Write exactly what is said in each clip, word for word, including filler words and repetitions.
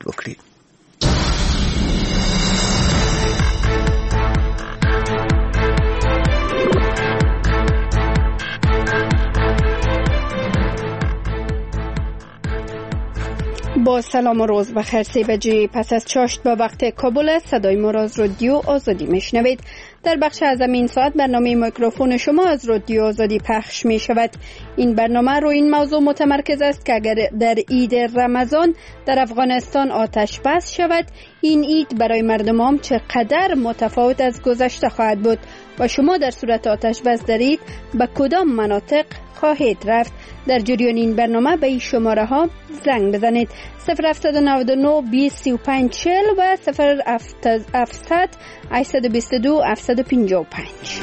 چلند وکړي. با سلام و روز بخیر. سه بجه پس از چاشت با وقت کابل صدای ما را از رادیو آزادی میشنوید. در بخش از این ساعت برنامه میکروفون شما از رادیو آزادی پخش می شود. این برنامه رو این موضوع متمرکز است که اگر در عید رمضان در افغانستان آتش بس شود، این عید برای مردم عام چقدر متفاوت از گذشته خواهد بود و شما در صورت آتش بس در عید به کدام مناطق خواهید رفت. در جریان این برنامه به این شماره ها زنگ بزنید: صفر هفت نه نه بیست سی و پنج چهل و صفر هفت هشت بیست و دو هفتصد و پنجاه و پنج.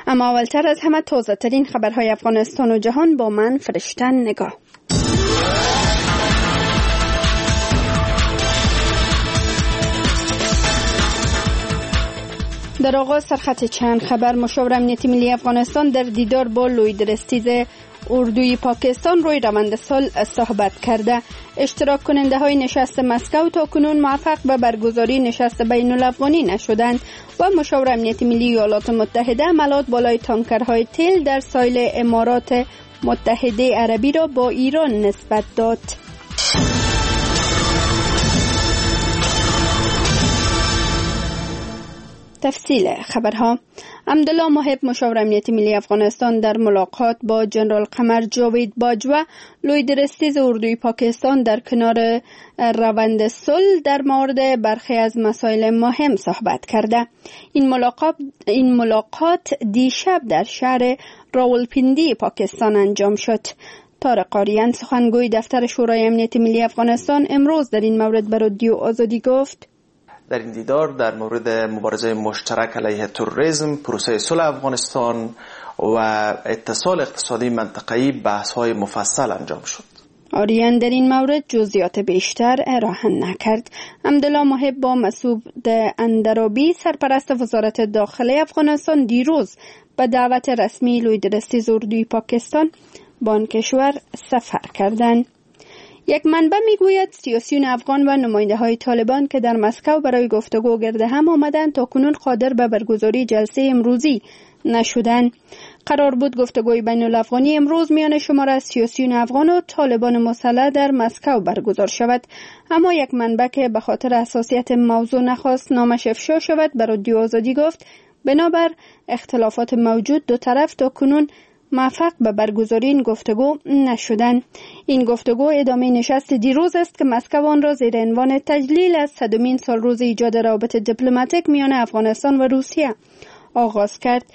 اما اولتر از همه تازه ترین خبرهای افغانستان و جهان با من فرشته نگاه. در آغاز سرخط چند خبر. مشاور امنیت ملی افغانستان در دیدار با لوی درستیز اردوی پاکستان روی روند صلح صحبت کرده. اشتراک کننده های نشست مسکو تا کنون موفق به برگزاری نشست بین الافغانی نشدند و مشاور امنیت ملی ایالات متحده عملات بالای تانکرهای تیل در ساحل امارات متحده عربی را با ایران نسبت داد. تفصیل خبرها. عبدالله محب مشاور امنیت ملی افغانستان در ملاقات با جنرال قمر جاوید باجوه لوی درستیز اردوی پاکستان در کنار روند صلح در مورد برخی از مسائل مهم صحبت کرده. این ملاقات این ملاقات دیشب در شهر راولپیندی پاکستان انجام شد. طارق آریان سخنگوی دفتر شورای امنیت ملی افغانستان امروز در این مورد به رادیو آزادی گفت: در این دیدار در مورد مبارزه مشترک علیه تروریسم، پروسه صلح افغانستان و اتصال اقتصادی منطقه‌ای بحث‌های مفصل انجام شد. آریان در این مورد جزئیات بیشتر ارائه نکرد. عبدالله محب با مسعود اندرابی سرپرست وزارت داخله افغانستان دیروز به دعوت رسمی لوی درستیز اردوی پاکستان به آن کشور سفر کردند. یک منبع میگوید سیاسیون افغان و نماینده های طالبان که در مسکو برای گفتگو گرد هم آمدند تا کنون قادر به برگزاری جلسه امروزی نشدند. قرار بود گفتگوی بین الافغانی امروز میان شمار از سیاسیون افغان و طالبان مسلح در مسکو برگزار شود، اما یک منبع که به خاطر حساسیت موضوع نخواست نامش افشا شود به رادیو آزادی گفت بنابر اختلافات موجود دو طرف تا کنون موفق به برگزاری این گفتگو نشدند. این گفتگو ادامه نشست دیروز است که مسکو آن را زیر عنوان تجلیل از صدمین سال روز ایجاد روابط دیپلماتیک میان افغانستان و روسیه آغاز کرد.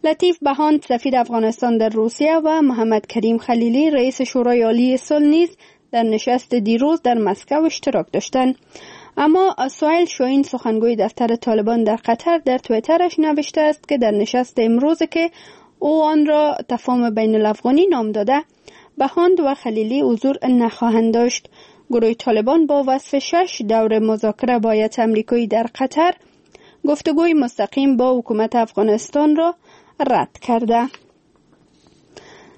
لطیف بهاند سفیر افغانستان در روسیه و محمد کریم خلیلی رئیس شورای عالی صلح نیز در نشست دیروز در مسکو اشتراک داشتند. اما سهیل شاهین سخنگوی دفتر طالبان در قطر در توییترش نوشته است که در نشست امروز که او آن را تفاهم بین الافغانی نام داده، بهاند و خلیلی حضور نخواهند داشت. گروه طالبان با وصف شش دور مذاکره با هیئت امریکایی در قطر گفتگوی مستقیم با حکومت افغانستان را رد کرده.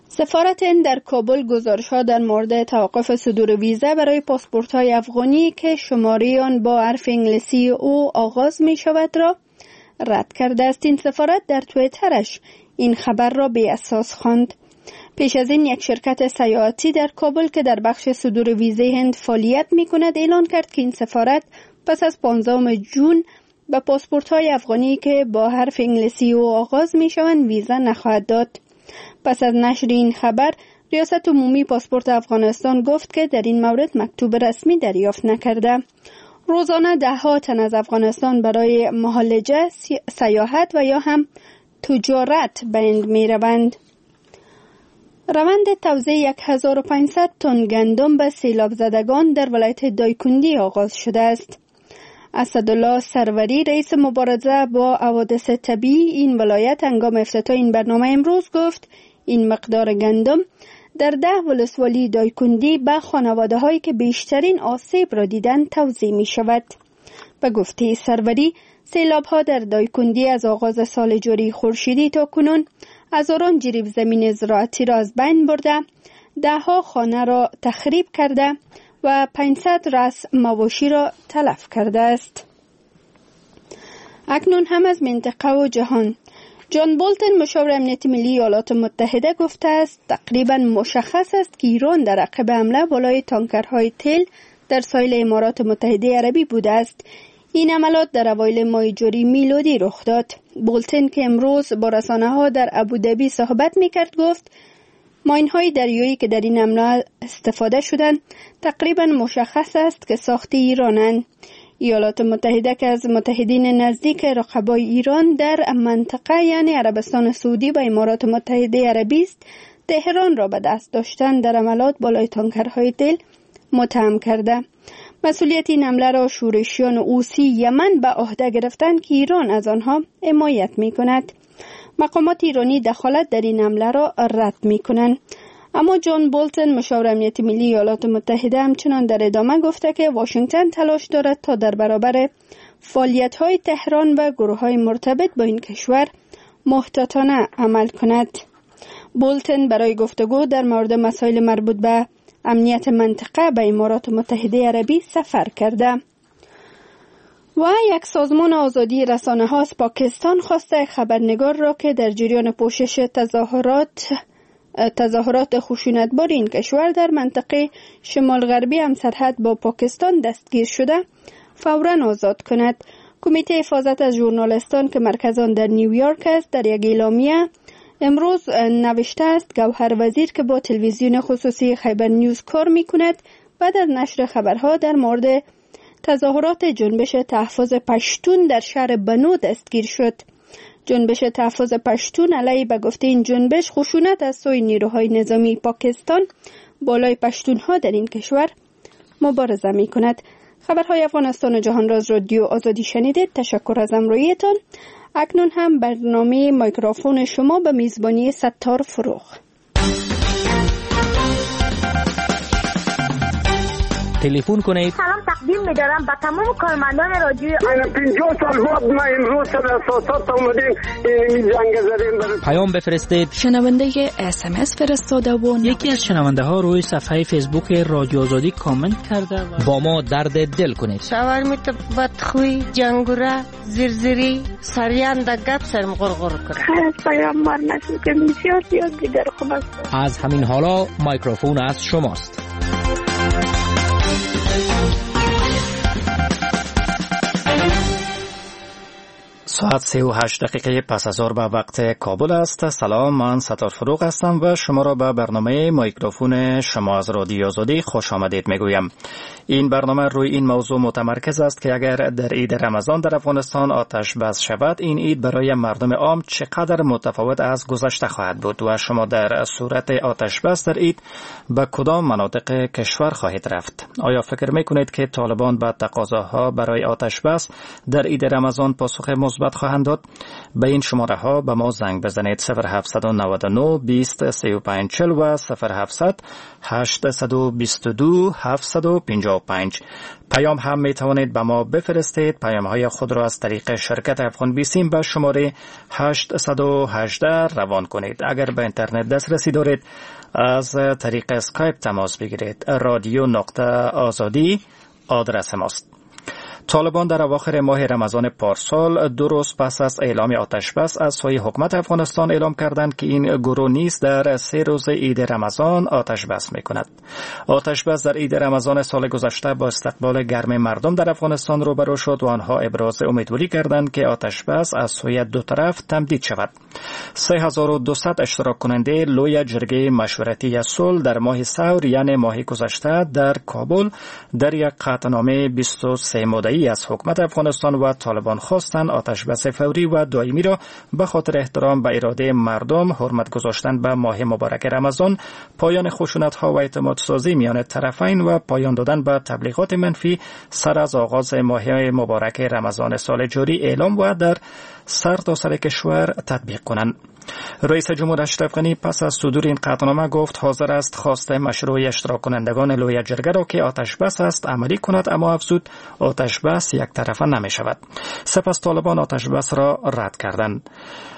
سفارت هند در کابل گزارش‌ها در مورد توقف صدور ویزا برای پاسپورت‌های افغانی که شماره آن با حرف انگلیسی او آغاز می‌شود را رد کرده است. این سفارت در توییترش این خبر را بی اساس خواند. پیش از این یک شرکت سیاحتی در کابل که در بخش صدور ویزه هند فعالیت می کند اعلان کرد که این سفارت پس از پانزدهم جون به پاسپورت های افغانی که با حرف انگلیسی او آغاز می شوند ویزا نخواهد داد. پس از نشر این خبر ریاست عمومی پاسپورت افغانستان گفت که در این مورد مکتوب رسمی دریافت نکرده. روزانه ده ها تن از افغانستان برای معالجه، سیاحت و یا هم تجارت به هند می روند. روند توزیع هزار و پانصد تن گندم به سیلاب زدگان در ولایت دایکندی آغاز شده است. اسدالله سروری رئیس مبارزه با حوادث طبیعی این ولایت هنگام افتتاح این برنامه امروز گفت این مقدار گندم در ده ولسوالی دایکندی به خانواده هایی که بیشترین آسیب را دیدند توزیع می شود. به گفته سروری سیلاب ها در دایکندی از آغاز سال جاری خورشیدی تا کنون هزاران جریب زمین زراعتی را از بین برده، ده ها خانه را تخریب کرده و پانصد رأس مواشی را تلف کرده است. اکنون هم از منطقه و جهان. جان بولتن مشاور امنیت ملی ایالات متحده گفته است تقریبا مشخص است که ایران در عقب حمله بالای تانکرهای تیل در ساحل امارات متحده عربی بوده است. این عملات در اوایل ماه جاری میلادی رخ داد. بولتن که امروز با رسانه ها در ابوظبی صحبت میکرد گفت ماین‌های دریایی که در این حمله استفاده شدند تقریبا مشخص است که ساخت ایرانند. ایالات متحده که از متحدین نزدیک رقبای ایران در منطقه یعنی عربستان سعودی و امارات متحده عربی است، تهران را به دست داشتن در عملات بالای تانکرهای تیل متهم کرده. مسئولیت این حمله را شورشیان حوثی یمن به عهده گرفتند که ایران از آنها حمایت می کند. مقامات ایرانی دخالت در این حمله را رد می کنند. اما جان بولتن مشاور امنیت ملی ایالات متحده همچنان در ادامه گفته که واشنگتن تلاش دارد تا در برابر فعالیت‌های تهران و گروه‌های مرتبط با این کشور محتاطانه عمل کند. بولتن برای گفتگو در مورد مسائل مربوط به امنیت منطقه به امارات متحده عربی سفر کرده. و یک سازمان آزادی رسانه ها از پاکستان خواسته خبرنگار را که در جریان پوشش تظاهرات تظاهرات خشونتبار این کشور در منطقه شمال غربی هم سرحد با پاکستان دستگیر شده فوراً آزاد کند. کمیته حفاظت از ژورنالستان که مرکز آن در نیویورک است در یک اعلامیه امروز نوشته است گوهر وزیر که با تلویزیون خصوصی خیبر نیوز کار می کند بعد از نشر خبرها در مورد تظاهرات جنبش تحفظ پشتون در شهر بنو دستگیر شد. جنبش تحفظ پشتون علیه به گفته این جنبش خشونت از سوی نیروهای نظامی پاکستان بالای پشتونها در این کشور مبارزه می کند. خبرهای افغانستان و جهان را از رادیو آزادی شنیدید. تشکر از همراهیتان. اکنون هم برنامه میکروفون شما به میزبانی ستار فروغ. تلفن کنید. سلام تقدیم می‌دارم به تمام کارمندان رادیو. پنجاه سال بعد ما امروز در اساسات آمدیم این جنگ زدیم. پیام بفرستید. شنونده اس ام اس فرستاده و یکی از شنونده ها روی صفحه فیسبوک رادیو آزادی کامنت کرده و با ما درد دل کنید. شوهر می تو بدخوی جنگوره زیرزیری سریان د گپ سرم غرغر کرد. پیام مار نشد که بسیار زیاد دیگر خوب است. از همین حالا میکروفون از شماست. ساعت سه و هشت دقیقه پس از ظهر به وقت کابل است. سلام، من ستار فروغ هستم و شما را به برنامه میکروفون شما از رادیو آزادی خوش آمدید میگویم. این برنامه روی این موضوع متمرکز است که اگر در عید رمضان در افغانستان آتش بس شود، این عید برای مردم عام چقدر متفاوت از گذشته خواهد بود و شما در صورت آتش بس در عید به کدام مناطق کشور خواهید رفت؟ آیا فکر میکنید که طالبان به تقاضاها برای آتش بس در عید رمضان پاسخ مثبت خواهند داد؟ به این شماره ها به ما زنگ بزنید: صفر هفت نه نه بیست سی و پنج چهل و صفر هفتصد هشتصد و بیست و دو هفتصد و پنجاه و پنج. پیام هم می توانید به ما بفرستید. پیام های خود را از طریق شرکت افغان بیسیم به شماره هشتصد و هجده روان کنید. اگر به اینترنت دسترسی دارید از طریق اسکایپ تماس بگیرید. رادیو نقطه آزادی آدرس ماست. طالبان در اواخر ماه رمضان پارسال دو روز پس از اعلام آتش بس از سوی حکومت افغانستان اعلام کردند که این گروه نیز در سه روز عید رمضان آتش بس می کند. آتش بس در عید رمضان سال گذشته با استقبال گرم مردم در افغانستان روبرو شد و آنها ابراز امیدواری کردند که آتش بس از سوی دو طرف تمدید شود. سه هزار و دویست اشتراک کننده لوی جرگه مشورتی صلح در ماه ثور یعنی ماه گذشته در کابل در یک قطعنامه بیست و سه ماده‌ای از حکومت افغانستان و طالبان خواستند آتش بس فوری و دائمی را به خاطر احترام به اراده مردم، حرمت گذاشتن به ماه مبارک رمضان، پایان خشونت‌ها و اعتماد سازی میان طرفین و پایان دادن به تبلیغات منفی سر از آغاز ماه مبارک رمضان سال جاری اعلام و در سر تا سر کشور تطبیق کنند. رئیس جمهور اشرف غنی پس از صدور این قطعنامه گفت حاضر است خواست مشروع اشتراک کنندگان لویه جرگه را که آتش بس است عملی کند، اما افزود آتش بس یک طرفه نمی شود. سپس طالبان آتش بس را رد کردند.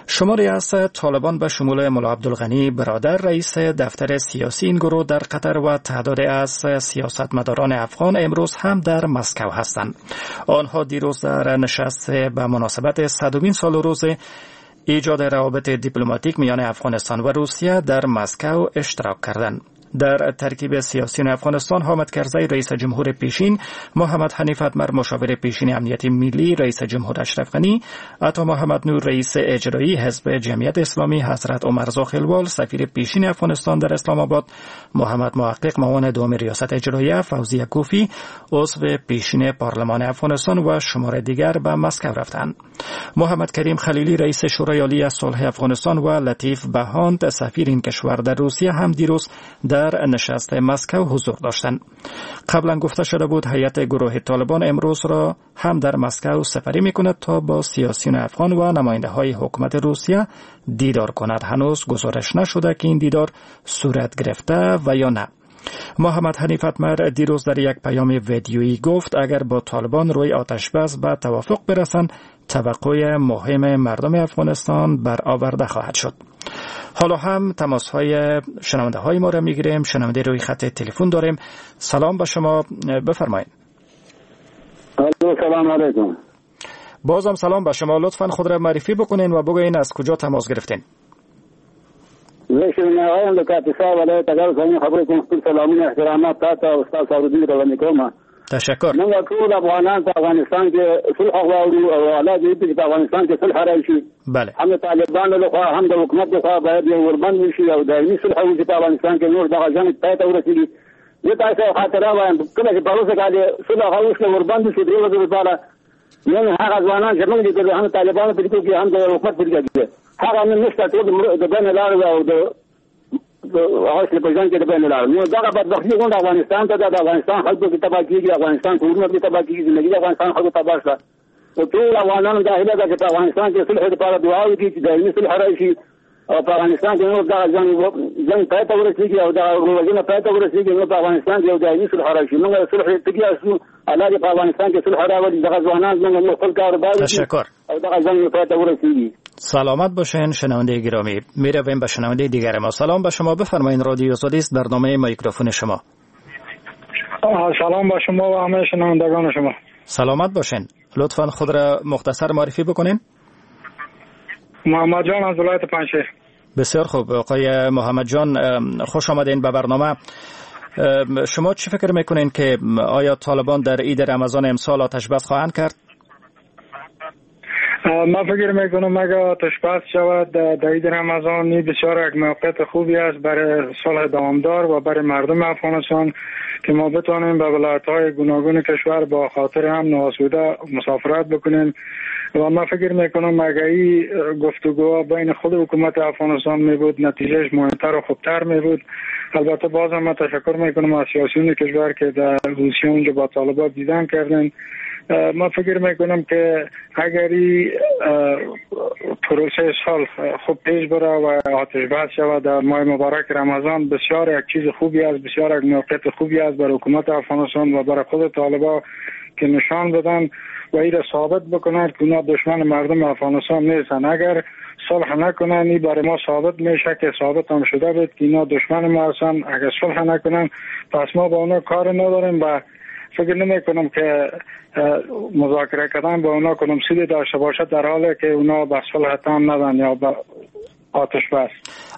شماری از طالبان به شمول ملا عبدالغنی برادر رئیس دفتر سیاسی این گروه در قطر و تعداد از سیاستمداران افغان امروز هم در مسکو هستند. آنها دیروز در نشست به مناسبت صدمین سال روز ایجاد روابط دیپلماتیک میان افغانستان و روسیه در مسکو اشتراک کردند. در ترکیب سیاسیون افغانستان حامد کرزی رئیس جمهور پیشین، محمد حنیف اتمر مشاور پیشین امنیت ملی رئیس جمهور اشرف غنی، عطا محمد نور رئیس اجرایی حزب جمعیت اسلامی، حضرت عمر زاخیلوال سفیر پیشین افغانستان در اسلام آباد، محمد محقق معاون دوم ریاست اجراییه، فوزیه کوفی عضو پیشین پارلمان افغانستان و شمار دیگر به مسکو رفتند. محمد کریم خلیلی رئیس شورای عالی صلح افغانستان و لطیف بهاند سفیر این کشور در روسیه هم دیروز در نشست مسکو حضور داشتند. قبلا گفته شده بود هیئت گروه طالبان امروز را هم در مسکو سفری میکند تا با سیاسیون افغان و نماینده های حکومت روسیه دیدار کند. هنوز گزارش نشده که این دیدار صورت گرفته و یا نه. محمد حنیف اتمر دیروز در یک پیام ویدیویی گفت اگر با طالبان روی آتش بس به توافق برسند توقع مهم مردم افغانستان برآورده خواهد شد. حالا هم تماس های شنونده های ما را میگیریم. شنونده روی خط تلفن داریم. سلام به شما، بفرمایید. سلام علیکم. بازم سلام به شما، لطفاً خود را معرفی بکنین و بگوین از کجا تماس گرفتین. زه شنونده یم د کاپیسا ولایت اګر ځینې خبرې کوم. خپل سلامونه احترامات تاسو او استاد صابرالدین ته وړاندې کوم. تشکر. موږ ټول افغانان په افغانستان کې صلح غواړو او الله دې چې په افغانستان کې صلح راشي. بله. هم د طالبانو لخوا هم د حکومت لخوا باید یو اوربند وشي او دایمي صلح وشي په افغانستان کې، نور دغه جنګ پای ته ورسېږي. زه تاسو یو خاطره وایم، کله چې پروسه کال صلح وشوه اوربند شو درې ورځې لپاره، نن هغه ځوانان چې موږ لیدل هم طالبانو په لیکو کې هم د حکومت په لیکو کې هغه نن نشته، ټول د بین لارې او د هغه په ځان کې د بین لارې. نو دغه بدبختي غونډه افغانستان ته ده، د افغانستان خلکو کې تباه کېږي، افغانستان کورونه کې تباه کېږي، زندګي د افغانستان خلکو تباه شوه. نو ټول افغانانو دا هیله ده چې په افغانستان کې صلح لپاره دعا وکړي چې دایمي صلح راشي او په افغانستان کې نور دغه جنګ جنګ پای ته ورسېږي او دغه وژنه پای ته ورسېږي، نو په افغانستان کې یو دایمي صلح راشي. موږ صلح تږي یاستو، الله دې په افغانستان کې صلح راولي، دغه ځوانان زموږ خپل کاروبار تشکر او دغه جنګ پای ته ورسېږي. سلامت باشین شنونده گرامی. میرویم به شنونده دیگر ما. سلام به شما، بفرمایید. رادیو آزادی است، برنامه میکروفون شما. سلام به شما و همه شنوندگان شما. سلامت باشین. لطفاً خود را مختصر معرفی بکنین. محمد جان از ولایت پنجشیر. بسیار خوب آقای محمد جان، خوش آمدین به برنامه. شما چی فکر میکنین که آیا طالبان در عید رمضان امسال آتش بس خواهند کرد؟ ما فکر میکنم اگر آتش بس شود در عید رمضان بسیار یک موقعیت خوبی است برای صلح دوامدار و برای مردم افغانستان که ما بتوانیم به ولایت‌های گوناگون کشور با خاطر هم آسوده مسافرت بکنیم. و ما فکر میکنم اگر این گفتگوها بین خود حکومت افغانستان می بود نتیجهش مهمتر و خوبتر می بود. البته باز هم تشکر میکنم از سیاسیون کشور که در روسیه اونجا با طالبان دیدن کردن. ما فکر میکنم که اگر این پروسه صلح خوب پیش بره و آتش بس شود در ماه مبارک رمضان بسیار یک چیز خوبی است، بسیار یک موقعیت خوبی است برای حکومت افغانستان و برای خود طالبان که نشان بدن و این را ثابت بکنند که اونا دشمن مردم افغانستان نیستن. اگر صلح نکنن این برای ما ثابت میشه که ثابت هم شده بود که اینا دشمن ما هستن. اگر صلح نکنن پس ما با اونا کار نداریم و فکر نمی کنم که مذاکره کردن با اونا کنم سودی داشته باشد در حالی که اونا به صلح تام ندن یا به آتش بس.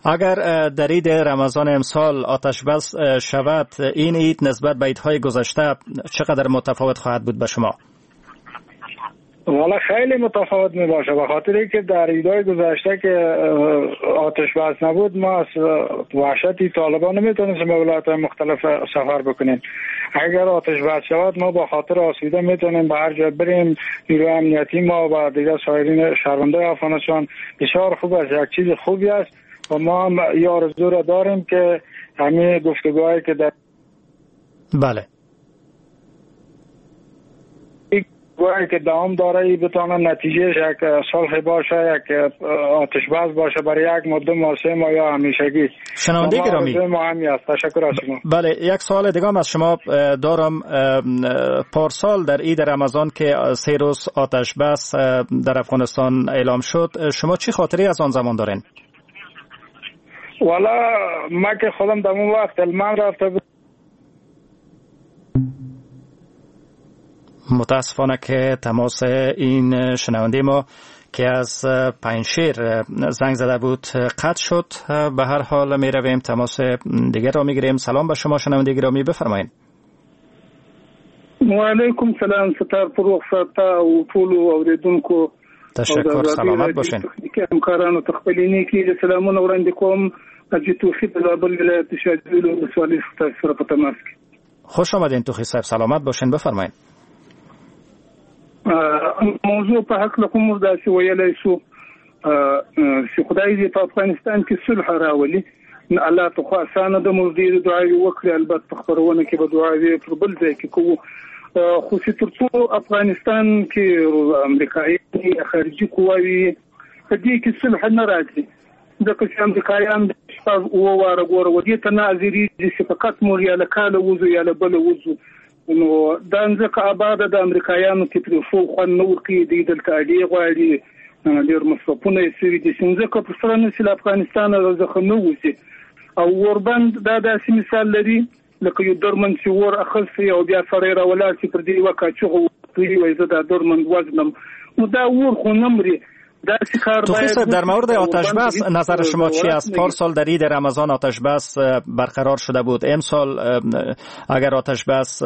اگر در عید رمضان امسال آتش بس شود این عید نسبت به عیدهای گذشته چقدر متفاوت خواهد بود به شما؟ والا خیلی متفاوت می باشه، به خاطر اینکه در عیدهای گذشته که آتش بس نبود ما از وحشت طالبان نمیتونستیم به ولایت‌های مختلف سفر بکنیم. اگر آتش بس شود ما با خاطر آسوده میتونیم به هر جا بریم. نیروی امنیتی ما و دیگر سایرین شهروندان افغانستان بسیار خوب است، یک چیز خوبی است و ما هم این آرزو را داریم که همه گفتگوهایی که در بله گفتگوهایی که دوام داره بتونه نتیجه یک صلح باشه، یک آتش بس باشه برای یک مدت ماه، سه ماه یا همیشگی. شنونده گرامی ما همی است. تشکر از شما. بله، یک سوال دیگه هم از شما دارم. پارسال در عید رمضان که سه روز آتش بس در افغانستان اعلام شد، شما چی خاطری از آن زمان دارین؟ والا ما که خودم در اون وقت هلمند رفته بود. متاسفانه که تماس این شنونده ما که از پنجشیر زنگ زده بود قطع شد. به هر حال می رویم تماس دیگر را می گیریم. سلام به شما شنونده گرامی، بفرمایید. و علیکم سلام، ستار فروغ صاحب او ټولو اوریدونکو تشکر، سلامت باشین. همکارانو ته خپلې نیکې سلامونه وړاندې کوم. حاجي توخي د زابل ولایت شاجوی ولسوالۍ ستاسو سره په تماس کې. خوش آمدین توخي صاحب، سلامت باشین، بفرمایید. موضوع په هکله خو موږ داسې ویلی شو چې خدای دې په افغانستان کې صلح راولي. الله ته خو اسانه ده، موږ ډېرې دعاوې وکړې، البته په خپرونه کې به دعاوې پر بل ځای کې کوو، خو چې تر څو افغانستان کې امریکایي خارجي قواوې په دې کې صلح نه راځي، ځکه چې امریکایان شپږ اووه واره ګوره و دې ته نه حاضرېږي چې فقط موږ یا له کاله وځو یا له بله وځو. نو دا ځمکه آباده د امریکایانو کې پرې ښو خوند نه ورکوي، دوی دلته اډې غواړي، ډېر مصرفونه یې سوي دي، چې ځمکه پر سره نه شي له افغانستانه څخه نه وځي. او اوربند دا داسې مثال لري لکه یو درمند چې اور اخیستی او بیا سړی راولاړ شي پر دې یوه کاچوغه ووهي وایي زه دا درمند وژنم، نو دا اور خو نه مري. توخی صاحب، در مورد آتش بس نظر شما چی است؟ پارسال در عید رمضان آتش بس برقرار شده بود، امسال اگر آتش بس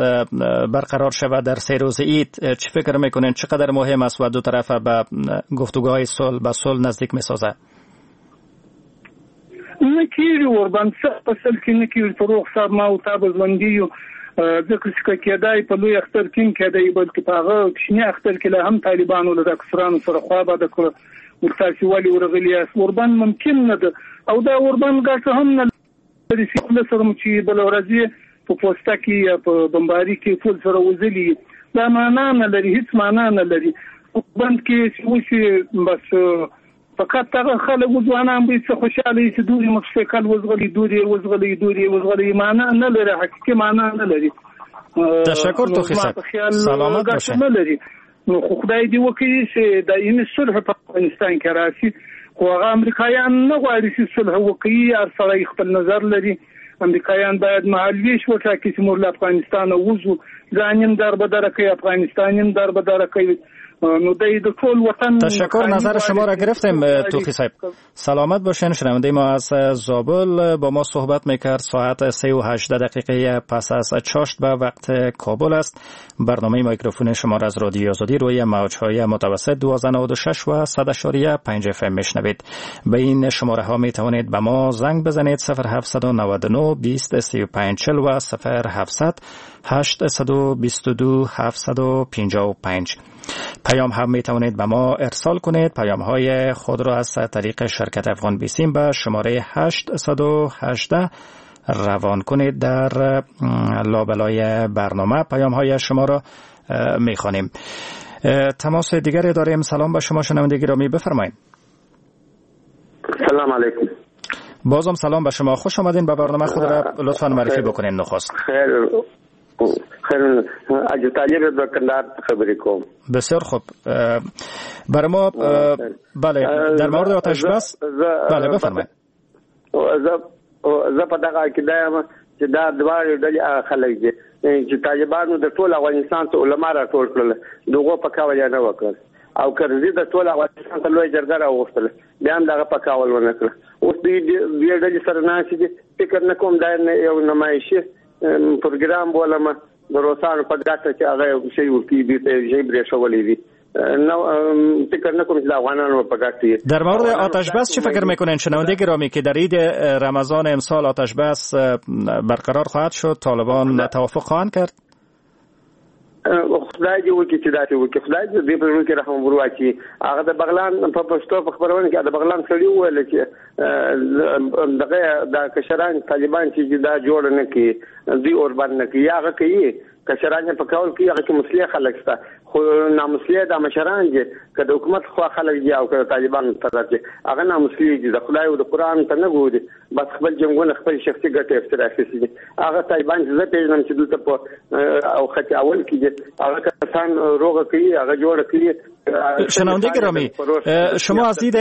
برقرار شود در سه روز عید، چی فکر میکنین چقدر مهم است و دو طرف به گفتگوهای صلح به صلح نزدیک میسازه؟ نه کیږي اوربند په سل کې نه کیږي. فروغ صاحب، ما او تا به ژوندي یو، ځکه چې که کېدای په لوی اختر کې هم کېدای، بلکې په هغه کوچني اختر کې لا هم طالبانو له ډاکټرانو سره خوا بده کړه، ورتاسې ولې ورغلي یاست؟ اوربند ممکن نه ده، او دا اوربند ګټه هم نه لري چې له سره مو چې بله ورځ یې په پوسته کې یا په بمباري کې ټول سره وزلي، دا معنا نه لري، هیڅ معنا نه لري. اوربند کې چې وشي بس فقط هغه خلک ځوانان به څه خوشاله وي چې دوی موټرسایکل وزغلي، دوی وزغلي، دوی وزغلي، معنا نه لري، حقیقي معنا نه لري. تشکر توخی صاحب، سلامت باشین. نه لري. نو خو خدای دې وکړي چې دایمي صلح په افغانستان کې راشي، خو هغه امریکایان نه غواړي چې صلح وکړي، هر سړی خپل نظر لري. امریکایان باید مهالوېش وټاکي چې موږ له افغانستانه وځو، ځان یې در بدره کوي، افغانستان یې در بدره کوي. نو د ټول وطن. تشکر، نظر شما را گرفتیم توخی صاحب، سلامت باشین. شنونده ما از زابل با ما صحبت میکرد. ساعت سه و هجده دقیقه پس از چاشت به وقت کابل است. برنامه میکروفون شما را از رادیو آزادی روی موجهای متوسط دوازده نود و شش و صد اعشاریه پنج اف ام میشنوید. به این شماره ها می توانید به ما زنگ بزنید: صفر هفتصد و نود و نه بیست سی و پنج چهل و صفر هفتصد هشتصد و بیست و دو هفتصد و پنجاه و پنج. پیام هم می توانید به ما ارسال کنید. پیام های خود را از طریق شرکت افغان بیسیم به شماره هشت صد و هجده روان کنید. در لابلای برنامه پیام های شما را می خوانیم. تماس دیگری داریم. سلام به شما شنونده گرامی، بفرمایید. سلام علیکم. بازم سلام به شما، خوش آمدین به برنامه. خود را لطفاً معرفی بکنین نخست. خیر خیر، حاجي طالب د کندهار خبرې کوم. بسیار خوب، برای ما بله در مورد آتش بس بله بفرمایید. زه زه په دغه عقیده یم چې دا دواړې ډلې هغه خلک دي چې طالبانو د ټول افغانستان ته علما راټول کړل، دغو په کول یې نه وکړل، او کرزي د ټول افغانستان ته لوی جرګه راوغوښتله، بیا هم دغه په کول ونه کړه. اوس دوی دوې ډلې سره ناستې دي، فکر نه کوم دا یو نمایشي پروګرام بولم د روسانو په ګټه چې هغه یو شی ورکړي، دوی ته یو شی برېښولی دي. نو فکر نه کوم چې د افغانانو په ګټه. در مورد آتش بس چه فکر میکنین شنونده گرامی که در عید رمضان امسال آتش بس برقرار خواهد شد؟ طالبان توافق خواهند کرد؟ خدای دې وکړي چې داسې وکړي، خدای دې دې په زړه کې رحم ور واچوي. هغه د بغلان په پښتو په خپرونه کې د بغلان سړي وویل چې دغه دا کشران طالبان چې دا جوړ نه کړي، دوی اوربند نه کړي، یا هغه کوي کشران یې په کول کوي، هغه کې مسلح خلک شته، خو خو نامسلې دا مشران دي، که د حکومت خوا خلک دي او که د طالبانو طرف دي، هغه نامسلې دي، د خدای او د قرآن ته نه ګوري، بس خپل جنګونه خپل شخصي ګټې یې اخیستې دي. هغه طالبان چې زه پېژنم چې دلته په او خط اول کې دي، هغه کسان روغه کوي، هغه جوړه کوي. شنونده گرامی، شما از دید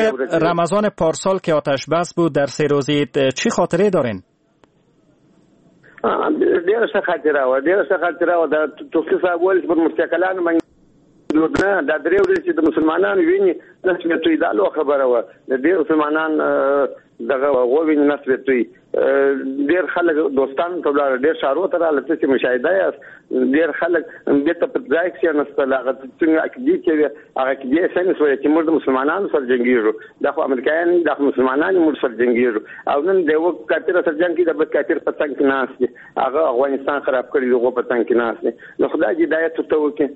رمضان پارسال که آتش بس بود در سه روزی چی خاطره دارین؟ ډیره ښه خاطره وه، ډیره ښه خاطره وه. د توفیق صاحب ویل چې پر مستقلانو باندې نه دا درې ورځې چې د مسلمانانو وینې نسبت توی، دا لویه خبره وه. د ډېر مسلمانان دغه ووینې نسبت توی، ډېر خلک دوستان ته ولاړل، ډېر ښارو ته راغلل، څه چې مشاهده یاست، ډېر خلک بېرته په ځای کښېناستل. هغه څنګه عقیدې چې وې، هغه عقیدې یې سمې سوې چې موږ د مسلمانانو سره جنګېږو، دا خو امریکایان دي، دا خو مسلمانان دي، موږ سره جنګېږو. او نن د یوه کافر سره جنګ کوي، د بل کافر په څنګ کې ناست دي، هغه افغانستان خراب کړی دی، هغو په څنګ کې ناست دي. نو خدای دې هدایت ورته وکړي،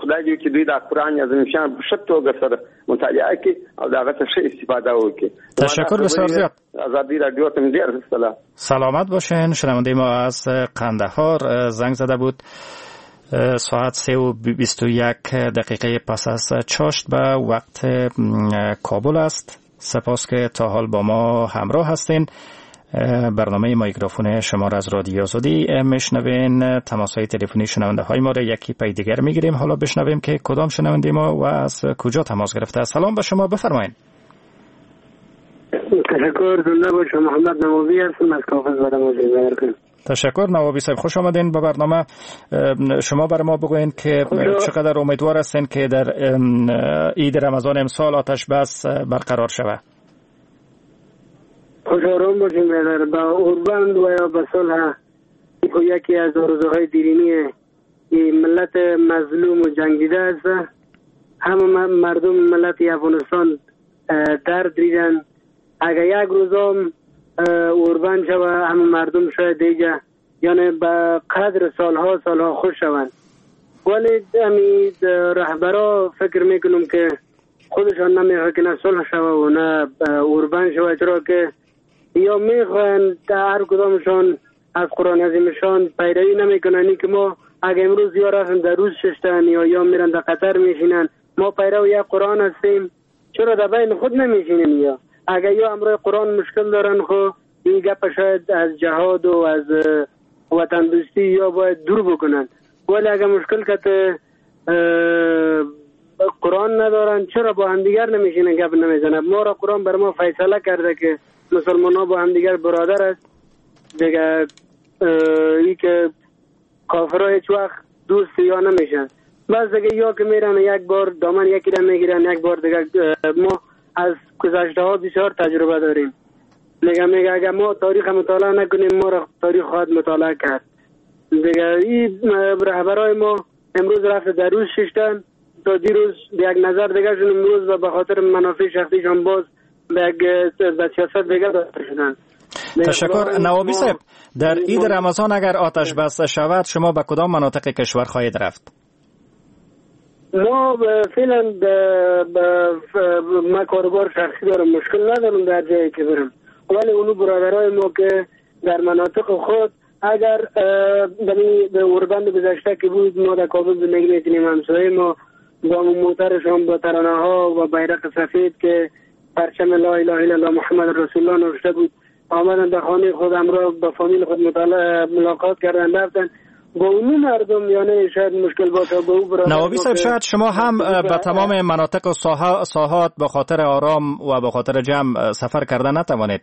خدای دې وکړي دوی دا قرآن عظیم شان په ښه توګه سره مطالعه کړي او د هغه څخه ښه استفاده وکړي. تشکر بسیار زیاد. ازادي رادیو ته ډېر سلام. سلامت باشین. شنونده ما از قندهار زنگ زده بود. ساعت سه و بیست و یک دقیقه پس از چاشت به وقت کابل است. سپاس که تا حال با ما همراه هستین. برنامه میکروفون شما را از رادیو آزادی میشنوین. تماس های تلفنی شنونده های ما را یکی پی دیگر میگیریم. حالا بشنویم که کدام شنونده ما و از کجا تماس گرفته. سلام به شما، بفرمایید. تشکر، زنده باشم. محمد نوابی هستم از کافز. تشکر نوابی صاحب، خوش آمدین به برنامه. شما بر ما بگوین که چقدر امیدوار هستین که در عید رمضان امسال آتش بس برقرار شود؟ خوش آرام باشیم برادر. با اوربند و یا به صلح یکی از آرزوهای دیرینی ملت مظلوم و جنگیده است. همه مردم ملت افغانستان درد دیدن. اگر یک روزم اوربند شود، همه مردم شاید دیگه یعنی به قدر سالها سالها خوش شوند. ولی همی رهبرا فکر میکنم که خودشان نمیخواه که نه صلح شود و نه اوربند شود، چرا که یا میخواهند هر کدامشان از قرآن عظیمشان پیروی نمیکنن. که ما اگه امروز یا رفتن در روز ششتن یا یا میرن در قطر میشینن، ما پیرو یک قرآن هستیم، چرا در بین خود نمیشینیم؟ یا اگه یا امروز قرآن مشکل دارن، خو این گپ شاید از جهاد و از وطن دوستی یا باید دور بکنن. ولی اگه مشکل که قرآن ندارن، چرا با همدیگر نمیشینن گپ نمیزنن؟ ما را قرآن بر ما فیصله کرده که مسلمان ها با همدیگر برادر است دیگه. ای که کافرها هیچ وقت دوست یا نمیشن. بس دیگه یا که میرن یک بار دامن یکی را میگیرن، یک بار دیگه. ما از گذشته ها بسیار تجربه داریم. میگه میگه اگه ما تاریخ مطالعه نکنیم، ما را تاریخ خواهد مطالعه کرد دیگه. این رهبرای ما امروز رفت در روز ششتن، تا دیروز به یک نظر دیگه شون، امروز و به خاطر منافع شخصیشان باز به به سیاست دیگه داده شدن. تشکر نوابی صاحب. در عید رمضان اگر آتش بس شود، شما به کدام مناطق کشور خواهید رفت؟ ما فعلا ما کاروبار شخصی دارم، مشکل ندارم در جایی که برم. ولی اونو برادرای ما که در مناطق خود اگر به اوربند گذشته که بود، ما در کابل زندگی میکنیم، همسایه ما با موترشان با ترانه ها و بیرق سفید که پرچم لا اله الا الله محمد رسول الله نوشته بود، آمدن در خانه خود همراه با فامیل خود ملاقات کردن رفتن. با اون مردم یعنی شاید مشکل باشه با او برادر. نوابی صاحب، شاید شما هم به تمام مناطق و ساحات به خاطر آرام و به خاطر جمع سفر کردن نتوانید.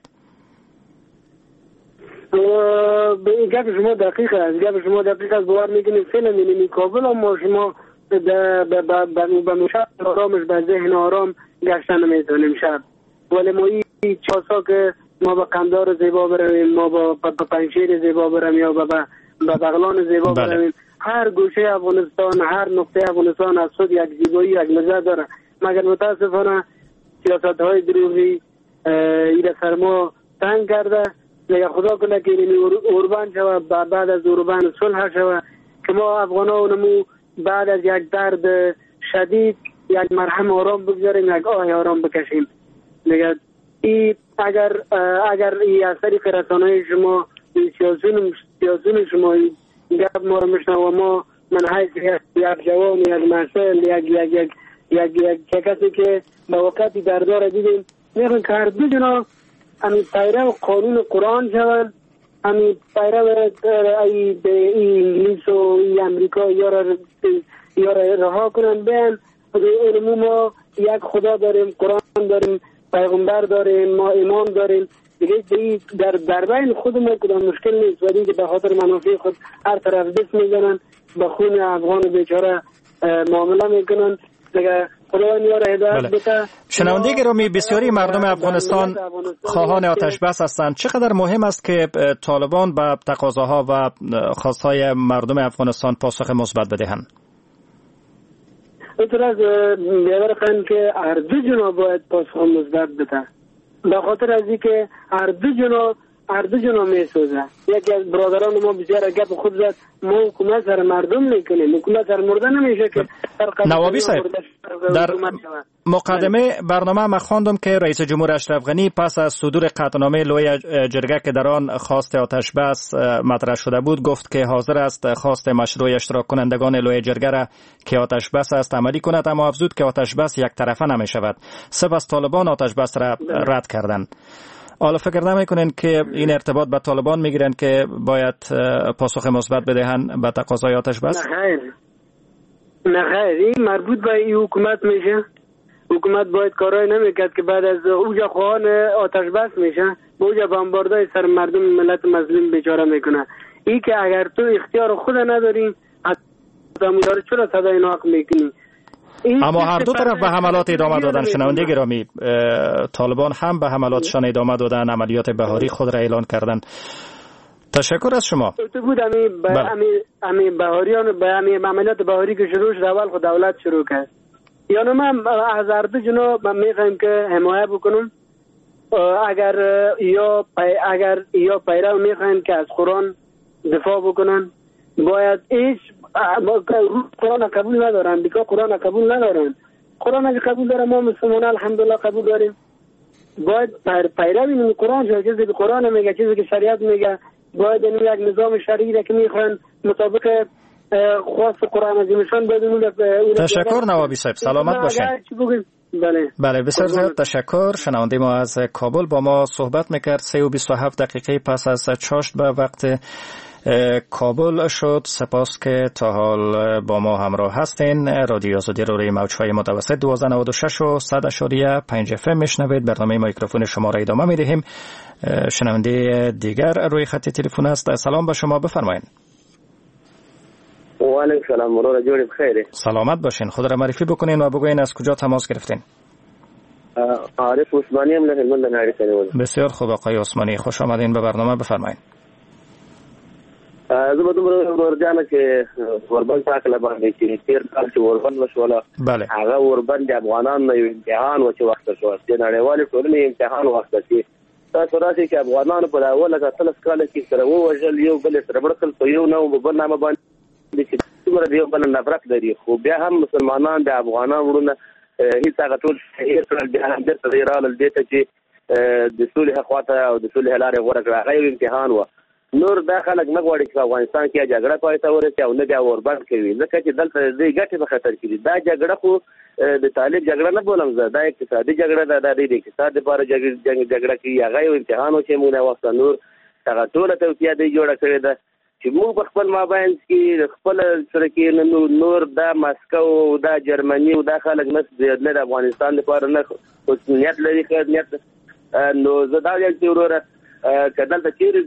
به این گپ شما دقیق است، گپ شما دقیق است. باور میکنیم فعلا یعنی کابل ما شما به به مشهد آرامش به ذهن آرام گشتن نمیتونیم شب. ولی ما این چاسا که ما به قندار زیبا برویم، ما با پنجشیر زیبا برویم یا به به بغلان زیبا برویم، هر گوشه افغانستان، هر نقطه افغانستان از خود یک زیبایی، یک لذت داره. مگر متاسفانه سیاست های دروغی ایره سر ما تنگ کرده. دیگه خدا کنه که این اوربان شود، بعد از اوربان صلح شود که ما افغان ها اونمو بعد از یک درد شدید یک مرهم آرام بگذاریم، یک آه آرام بکشیم. دیگه ای اگر اگر ای از طریق رسانه‌های شما، سیاسیون سیاسیون شما گپ ما رو میشنوه و ما من حیث یک جوان، یک مسئول، یک یک یک یک یک کسی که به وقتی دردار دیدیم، میخوایم که هر دو جناح همی پیرو قانون قرآن شوند، همی پیرو ای انگلیس و ای امریکا یا را یا را رها کنن، بیان علمو ما یک خدا داریم، قرآن داریم، پیغمبر داریم، ما ایمان داریم دیگه. در در بین خود ما کدام مشکل نیست، ولی که به خاطر منافع خود هر طرف دست میزنن، به خون افغان بیچاره معامله میکنن دیگه. خداوند یار هدایت بده. شنونده گرامی، بسیاری مردم افغانستان خواهان آتش بس هستند. چقدر مهم است که طالبان به تقاضاها و خواستهای مردم افغانستان پاسخ مثبت بدهند؟ اینطور از بیادر خواهیم که هر دو جناح باید پاسخ مثبت بده، به خاطر از اینکه هر دو جناح هر دو جناح میسوزه. یکی از برادران ما بسیار گپ خود زد، ما حکومت سر مردم میکنیم، حکومت سر مرده نمیشه که نوابی صاحب، در مقدمه برنامه ما خواندم که رئیس جمهور اشرف غنی پس از صدور قطعنامه لوی جرگه که در آن خواست آتش بس مطرح شده بود، گفت که حاضر است خواست مشروع اشتراک کنندگان لوی جرگه را که آتش بس است عملی کند، اما افزود که آتش بس یک طرفه نمی شود. سپس طالبان آتش بس را رد کردند. حالا فکر نمی‌کنین که این ارتباط به طالبان میگیرن که باید پاسخ مثبت بدهند به تقاضای آتش بس؟ نه خیر، نه خیر، این مربوط به این حکومت میشه. حکومت باید کارای نمیکرد که بعد از اوجا خواهان آتش بس میشه، به اوجا بمباردای سر مردم ملت مظلوم بیچاره میکنه. این که اگر تو اختیار خود نداری، حتی چرا صدای ناحق میکنی؟ اما هر دو طرف به حملات ادامه دادن. شنونده گرامی، طالبان هم به حملاتشان ادامه دادن، عملیات بهاری خود را اعلان کردن. تشکر از شما. تو بود امی ب... امی امی بهاریان به امی عملیات بهاری که شروع شد، اول خود دولت شروع کرد. یعنی من از هر دو جناح میخوایم که حمایت بکنم. اگر یا پی... اگر یا پیرو میخوایم که از قرآن دفاع بکنن، باید هیچ قرآن قبول ندارن، دیگه قرآن قبول ندارن. قرآن اگه قبول دارن، ما مسلمان الحمدلله قبول داریم. باید پیروی قرآن شد. چیزی که قرآن میگه، چیزی که شریعت میگه، باید این یک نظام شرعی که میخوان مطابق خواست قرآن عظیمشان باید اون. تشکر نوابی صاحب، سلامت باشین. بله بله، بسیار زیاد تشکر. شنونده ما از کابل با ما صحبت میکرد. سه و بیست و هفت دقیقه پس از چاشت به وقت کابل شد. سپاس که تا حال با ما همراه هستین. رادیو آزادی رو روی موج‌های متوسط دوازده نود و شش و صد اعشاریه پنج اف ام میشنوید. برنامه میکروفون شما را ادامه میدهیم. شنونده دیگر روی خط تلفن است. سلام به شما، بفرمایید. و علیکم سلام، وروره جوړ بخیر. سلامت باشین. خود را معرفی بکنین و بگوین از کجا تماس گرفتین. عارف عثمانی هم له هلمند نه. بسیار خوب آقای عثمانی، خوش آمدین به برنامه، بفرمایید. زه به دومره ورور جانه چې اوربند په هکله باندې چې تېر کال چې اوربند وشوله، هغه اوربند د افغانانو یو امتحان و چې وخت شو، د نړیوالې ټولنې امتحان وخت چې تاسو راشئ چې افغانانو په اوله اتلس کاله کې سره ووژل، یو بل سره مړ کړل، په یو نوم بل نامه باندې چې څومره د یو بل نفرت لري، خو بیا هم مسلمانان د افغانانو وروڼه هیڅ هغه ټول هېر کړل، بیا هم بېرته دوی راغلل دې ته چې د سولې خواته او د سولې لارې غوره کړه. هغه یو امتحان و. نور دا خلک نه غواړي چې په افغانستان کې جګړه پای ته ورسي او نه بیا اوربند کوي، ځکه چې دلته د دوی ګټې په خطر کې دي. دا جګړه خو د طالب جګړه نه بولم زه، دا اقتصادي جګړه ده، دا د اقتصاد لپاره جګړه کوي. هغه یو امتحان و چې موږ وخت نور هغه ټوله توطیه دوی جوړه کړې ده چې موږ په خپل مابین کې خپل سره کې نور دا مسکو او دا جرمني او دا خلک نه نه د افغانستان لپاره نه نیت لري ښه نیت. نو زه دا وایم چې وروره که دلته چیرې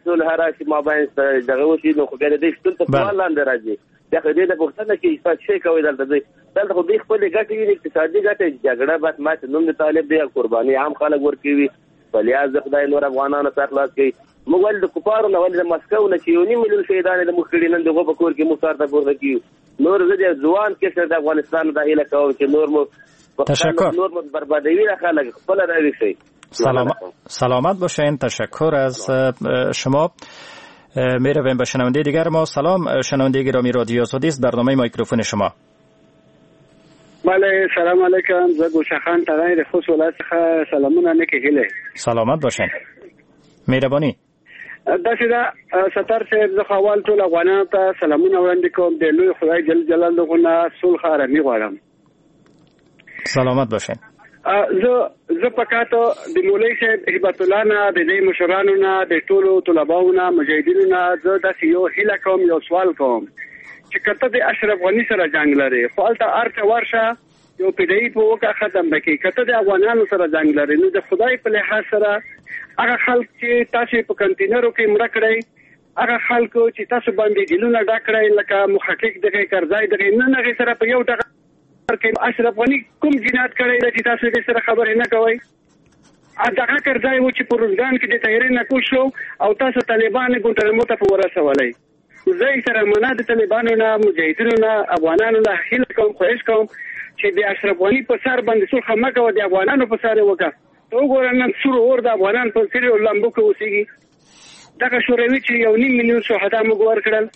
صلح راشي مابین دغه وشي، نو خو بیا د دوی شتون ته سوال لاندې راځي. بیا خو دې ته پوښتنه کوي چې تاسو څه کوئ دلته. دوی دلته خو دوی خپلې ګټې ویني، اقتصادي ګټې. جګړه بس ماتې نوم د طالب دی، قرباني عام خلک ورکوي. په لحاظ د خدای نور افغانانو سر خلاص کوي. موږ ولې د کفارو نه، ولې د مسکو نه چې یو نیم میلیون شهیدان یې د موږ کړي، نن د هغو په کور کې موږ سر ته پورته کړي. نور زه د ځوان کشر د افغانستان دا هیله کوم چې نور مو تشکر، نور مو بربادوي دا خلک، خپله راویښ شئ. سلام، سلامت باشین. تشکر از شما. میرویم به شنونده دیگر ما. سلام شنونده گرامی، رادیو آزادی است، برنامه میکروفون شما. بله سلام علیکم، زه ګلشن خان ترین د خوست ولایت څخه سلامونه نیکې هیلې. سلامت باشین، مهرباني. داسې ده ستار صاحب، زه خو اول ټول افغانانو ته سلامونه وړاندې کوم، د لوی خدای جل جلاله نه صلح آرامي غواړم. سلامت باشین. زه زه پکاتو د مولوي صاحب هبت الله نه، د دې مشرانو نه، د ټولو طلباو نه، مجاهدینو نه زه داسې یو هیله کوم، یو سوال کوم چې که ته د اشرف غني سره جنګ لرې خو هلته هرڅه ورشه یو پیدایي په وکړه ختم به کړې. که ته د افغانانو سره جنګ لرې نو د خدای په لحاظ سره هغه خلک چې تاسو په کنټینرو کې مړه کړئ، هغه خلکو چې تاسو باندې جیلونه ډک کړئ لکه محقق دغه کرزی دغه، نن هغې سره په یو ټغر کې اشرف غني کوم جنایت کړی دی چې تاسو دې سره خبرې نه کوئ؟ دغه کرزی و چې په روزګان کې د طیارې نه کوز شو او تاسو طالبان ګوانتانامو ته په ورسولئ. زه احترامانه د طالبانو نه، مجاهدینو نه، افغانانو نه هیله کوم، خواهش کوم چې د اشرف غني په سر باندې صلح مه کوه، د افغانانو په سر یې وکړه. ته وګوره نن سور اور د افغانان په سر لمبو کې اوسېږي. دغه شوروي چې یو نیم میلیون شهدا موږ ورکړل،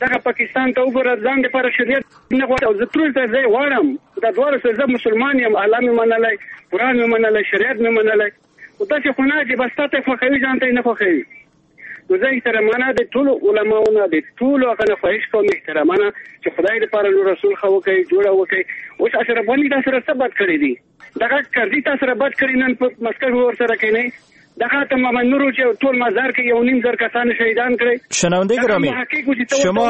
دغه پاکستان ته وګوره ځان دپاره شریعت نه غواړي. او زه ټول ته زه غواړم دا دواړه سره زه مسلمان یم، الله مې منلی، قرآن مې منلی، شریعت مې منلی، خو داسې خو نه چې بس تا ته یې خوښوي ځان ته یې نه خوښوي. نو زه احترامانه د ټولو علماو نه، د ټولو هغه نه خواهش کوم احترامانه چې خدای دپاره نور صلح وکړي، جوړه وکړي. اوس اشرف غني تا سره څه بد کړي دي؟ دغه کرزي تا سره بد کړي، نن په مسکو کې ورسره کښېنئ. دغه ته محمد نور چې ټول مزار کې یو نیم زر کسان شهیدان کړی. شنونده گرامی، شما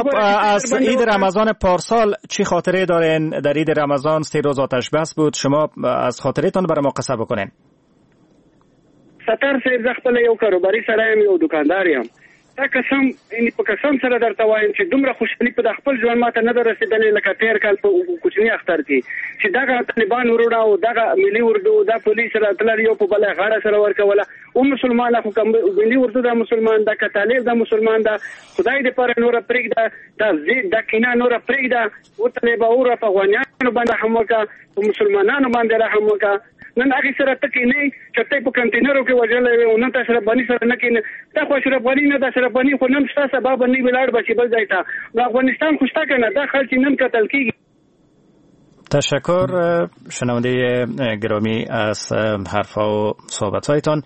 از عید رمضان پارسال چی خاطره دارین؟ در عید رمضان سه روز آتش بس بود، شما از خاطرتان برای ما قصه بکنین. ستار صاحب، زه خپله یو کاروباري سړی یم، یو دکاندار یم. دا قسم یعنی په قسم سره درته وایم چې دومره خوشحالي په خپل ژوند ماته نه ده رسېدلې لکه تېر کال په کوچني اختر کې چې دغه طالبان وروڼه او دغه ملي اردو دا پولیس راتلل یو په بله غاړه سره ورکوله. او مسلمان خو که ملي اردو دا مسلمان ده، که طالب دا مسلمان ده، خدای دپاره نوره پرېږده، دا ضد دا کینه نوره پرېږده. او طالبه وروره په افغانیانو باندې رحم وکړه، په مسلمانانو باندې رحم وکړه. نن هغې سره ته کښېنې چې ته یې په کنټینرو کې وژلی وې او نن ته اشرف غني سره نه کښېنې. دا خو اشرف غني نه ده، اشرف غني خو نن شته، سبا به نه وي لاړ به شي بل ځای ته. نو افغانستان خو شته که نه، دا خلک چې نن قتل کېږي. تشکر شنونده گرامی از حرفا و صحبت‌هایتان.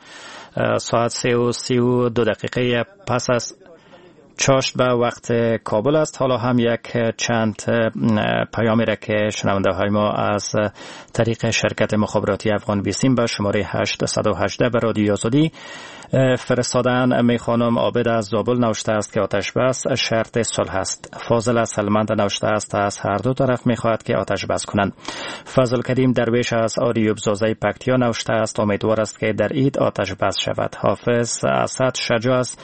ساعت سه و سی و دو دقیقه پس از چاشت به وقت کابل است. حالا هم یک چند پیامی را که شنونده های ما از طریق شرکت مخابراتی افغان بیسیم به شماره هشت صد و هجده به رادیو آزادی فرستادن میخوانم. عابد از زابل نوشته است که آتش بس شرط صلح است. فاضل از سلمند نوشته است از هر دو طرف میخواهد که آتش بس کنند. فضل کریم درویش از آریوب زازه پکتیا نوشته است امیدوار است که در عید آتش بس شود. حافظ اسد شجاع از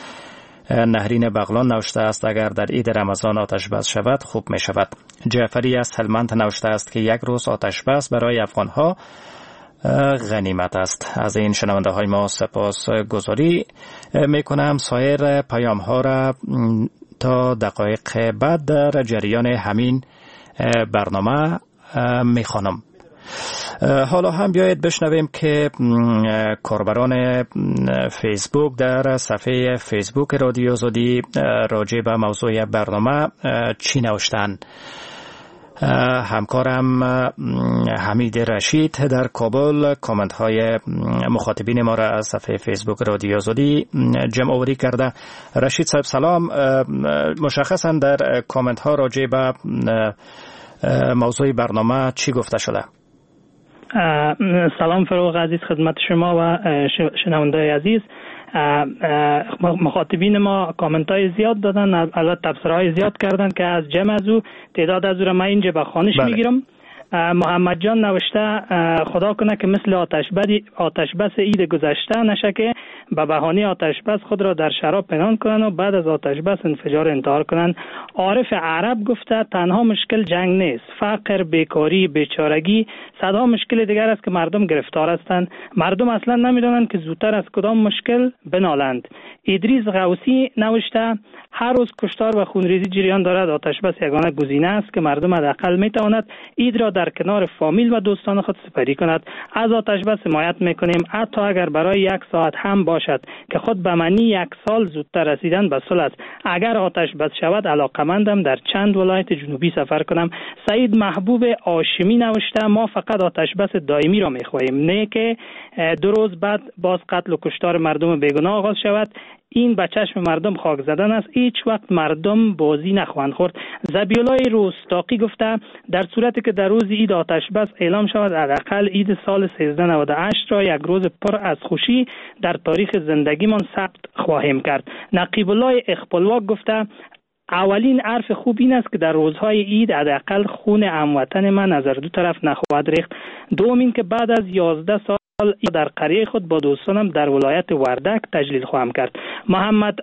نهرین بغلان نوشته است اگر در عید رمضان آتش بس شود خوب می شود. جعفری از هلمند نوشته است که یک روز آتش بس برای افغانها غنیمت است. از این شنونده های ما سپاس گذاری می کنم. سایر پیام ها را تا دقایق بعد در جریان همین برنامه می خوانم. حالا هم بیایید بشنویم که کاربران فیسبوک در صفحه فیسبوک رادیو آزادی راجع به موضوع برنامه چی نوشتن. همکارم حمید رشید در کابل کامنت های مخاطبین ما را از صفحه فیسبوک رادیو آزادی جمع آوری کرده. رشید صاحب سلام، مشخصا در کامنت ها راجع به موضوع برنامه چی گفته شده؟ سلام فروغ عزیز خدمت شما و شنونده عزیز. مخاطبین ما کامنت های زیاد دادن، البته تبصره های زیاد کردن که از جمع از او تعداد از او را من اینجا به خوانش میگیرم. محمد جان نوشته خدا کنه که مثل آتش بدی آتش بس عید گذشته نشه که به بهانه آتش بس خود را در شراب پنهان کنن و بعد از آتش بس انفجار انتحار کنن. عارف عرب گفته تنها مشکل جنگ نیست، فقر، بیکاری، بیچارگی، صدها مشکل دیگر است که مردم گرفتار هستند. مردم اصلا نمیدانند که زودتر از کدام مشکل بنالند. ادریس غوثی نوشته هر روز کشتار و خونریزی جریان دارد، آتش بس یگانه گزینه است که مردم حداقل میتواند عید را در کنار فامیل و دوستان خود سپری کند. از آتش بس حمایت میکنیم حتی اگر برای یک ساعت هم باشد که خود به معنی یک سال زودتر رسیدن به صلح است. اگر آتش بس شود علاقمندم در چند ولایت جنوبی سفر کنم. سعید محبوب هاشمی نوشته ما فقط آتش بس دائمی را میخواهیم، نه که دو روز بعد باز قتل و کشتار مردم بیگناه آغاز شود. این به چشم مردم خاک زدن است. هیچ وقت مردم بازی نخواهند خورد. ذبیح روستاقی گفته در صورتی که در روز عید آتش بس اعلام شود، حداقل عید سال سیزده نود و هشت را یک روز پر از خوشی در تاریخ زندگیمان ثبت خواهیم کرد. نقیب الله اخپلواک گفته اولین حرف خوب این است که در روزهای عید حداقل خون هموطن من از دو طرف نخواهد ریخت. دوم این که بعد از یازده سال در قریه خود با دوستانم در ولایت وردک تجلیل خواهم کرد. محمد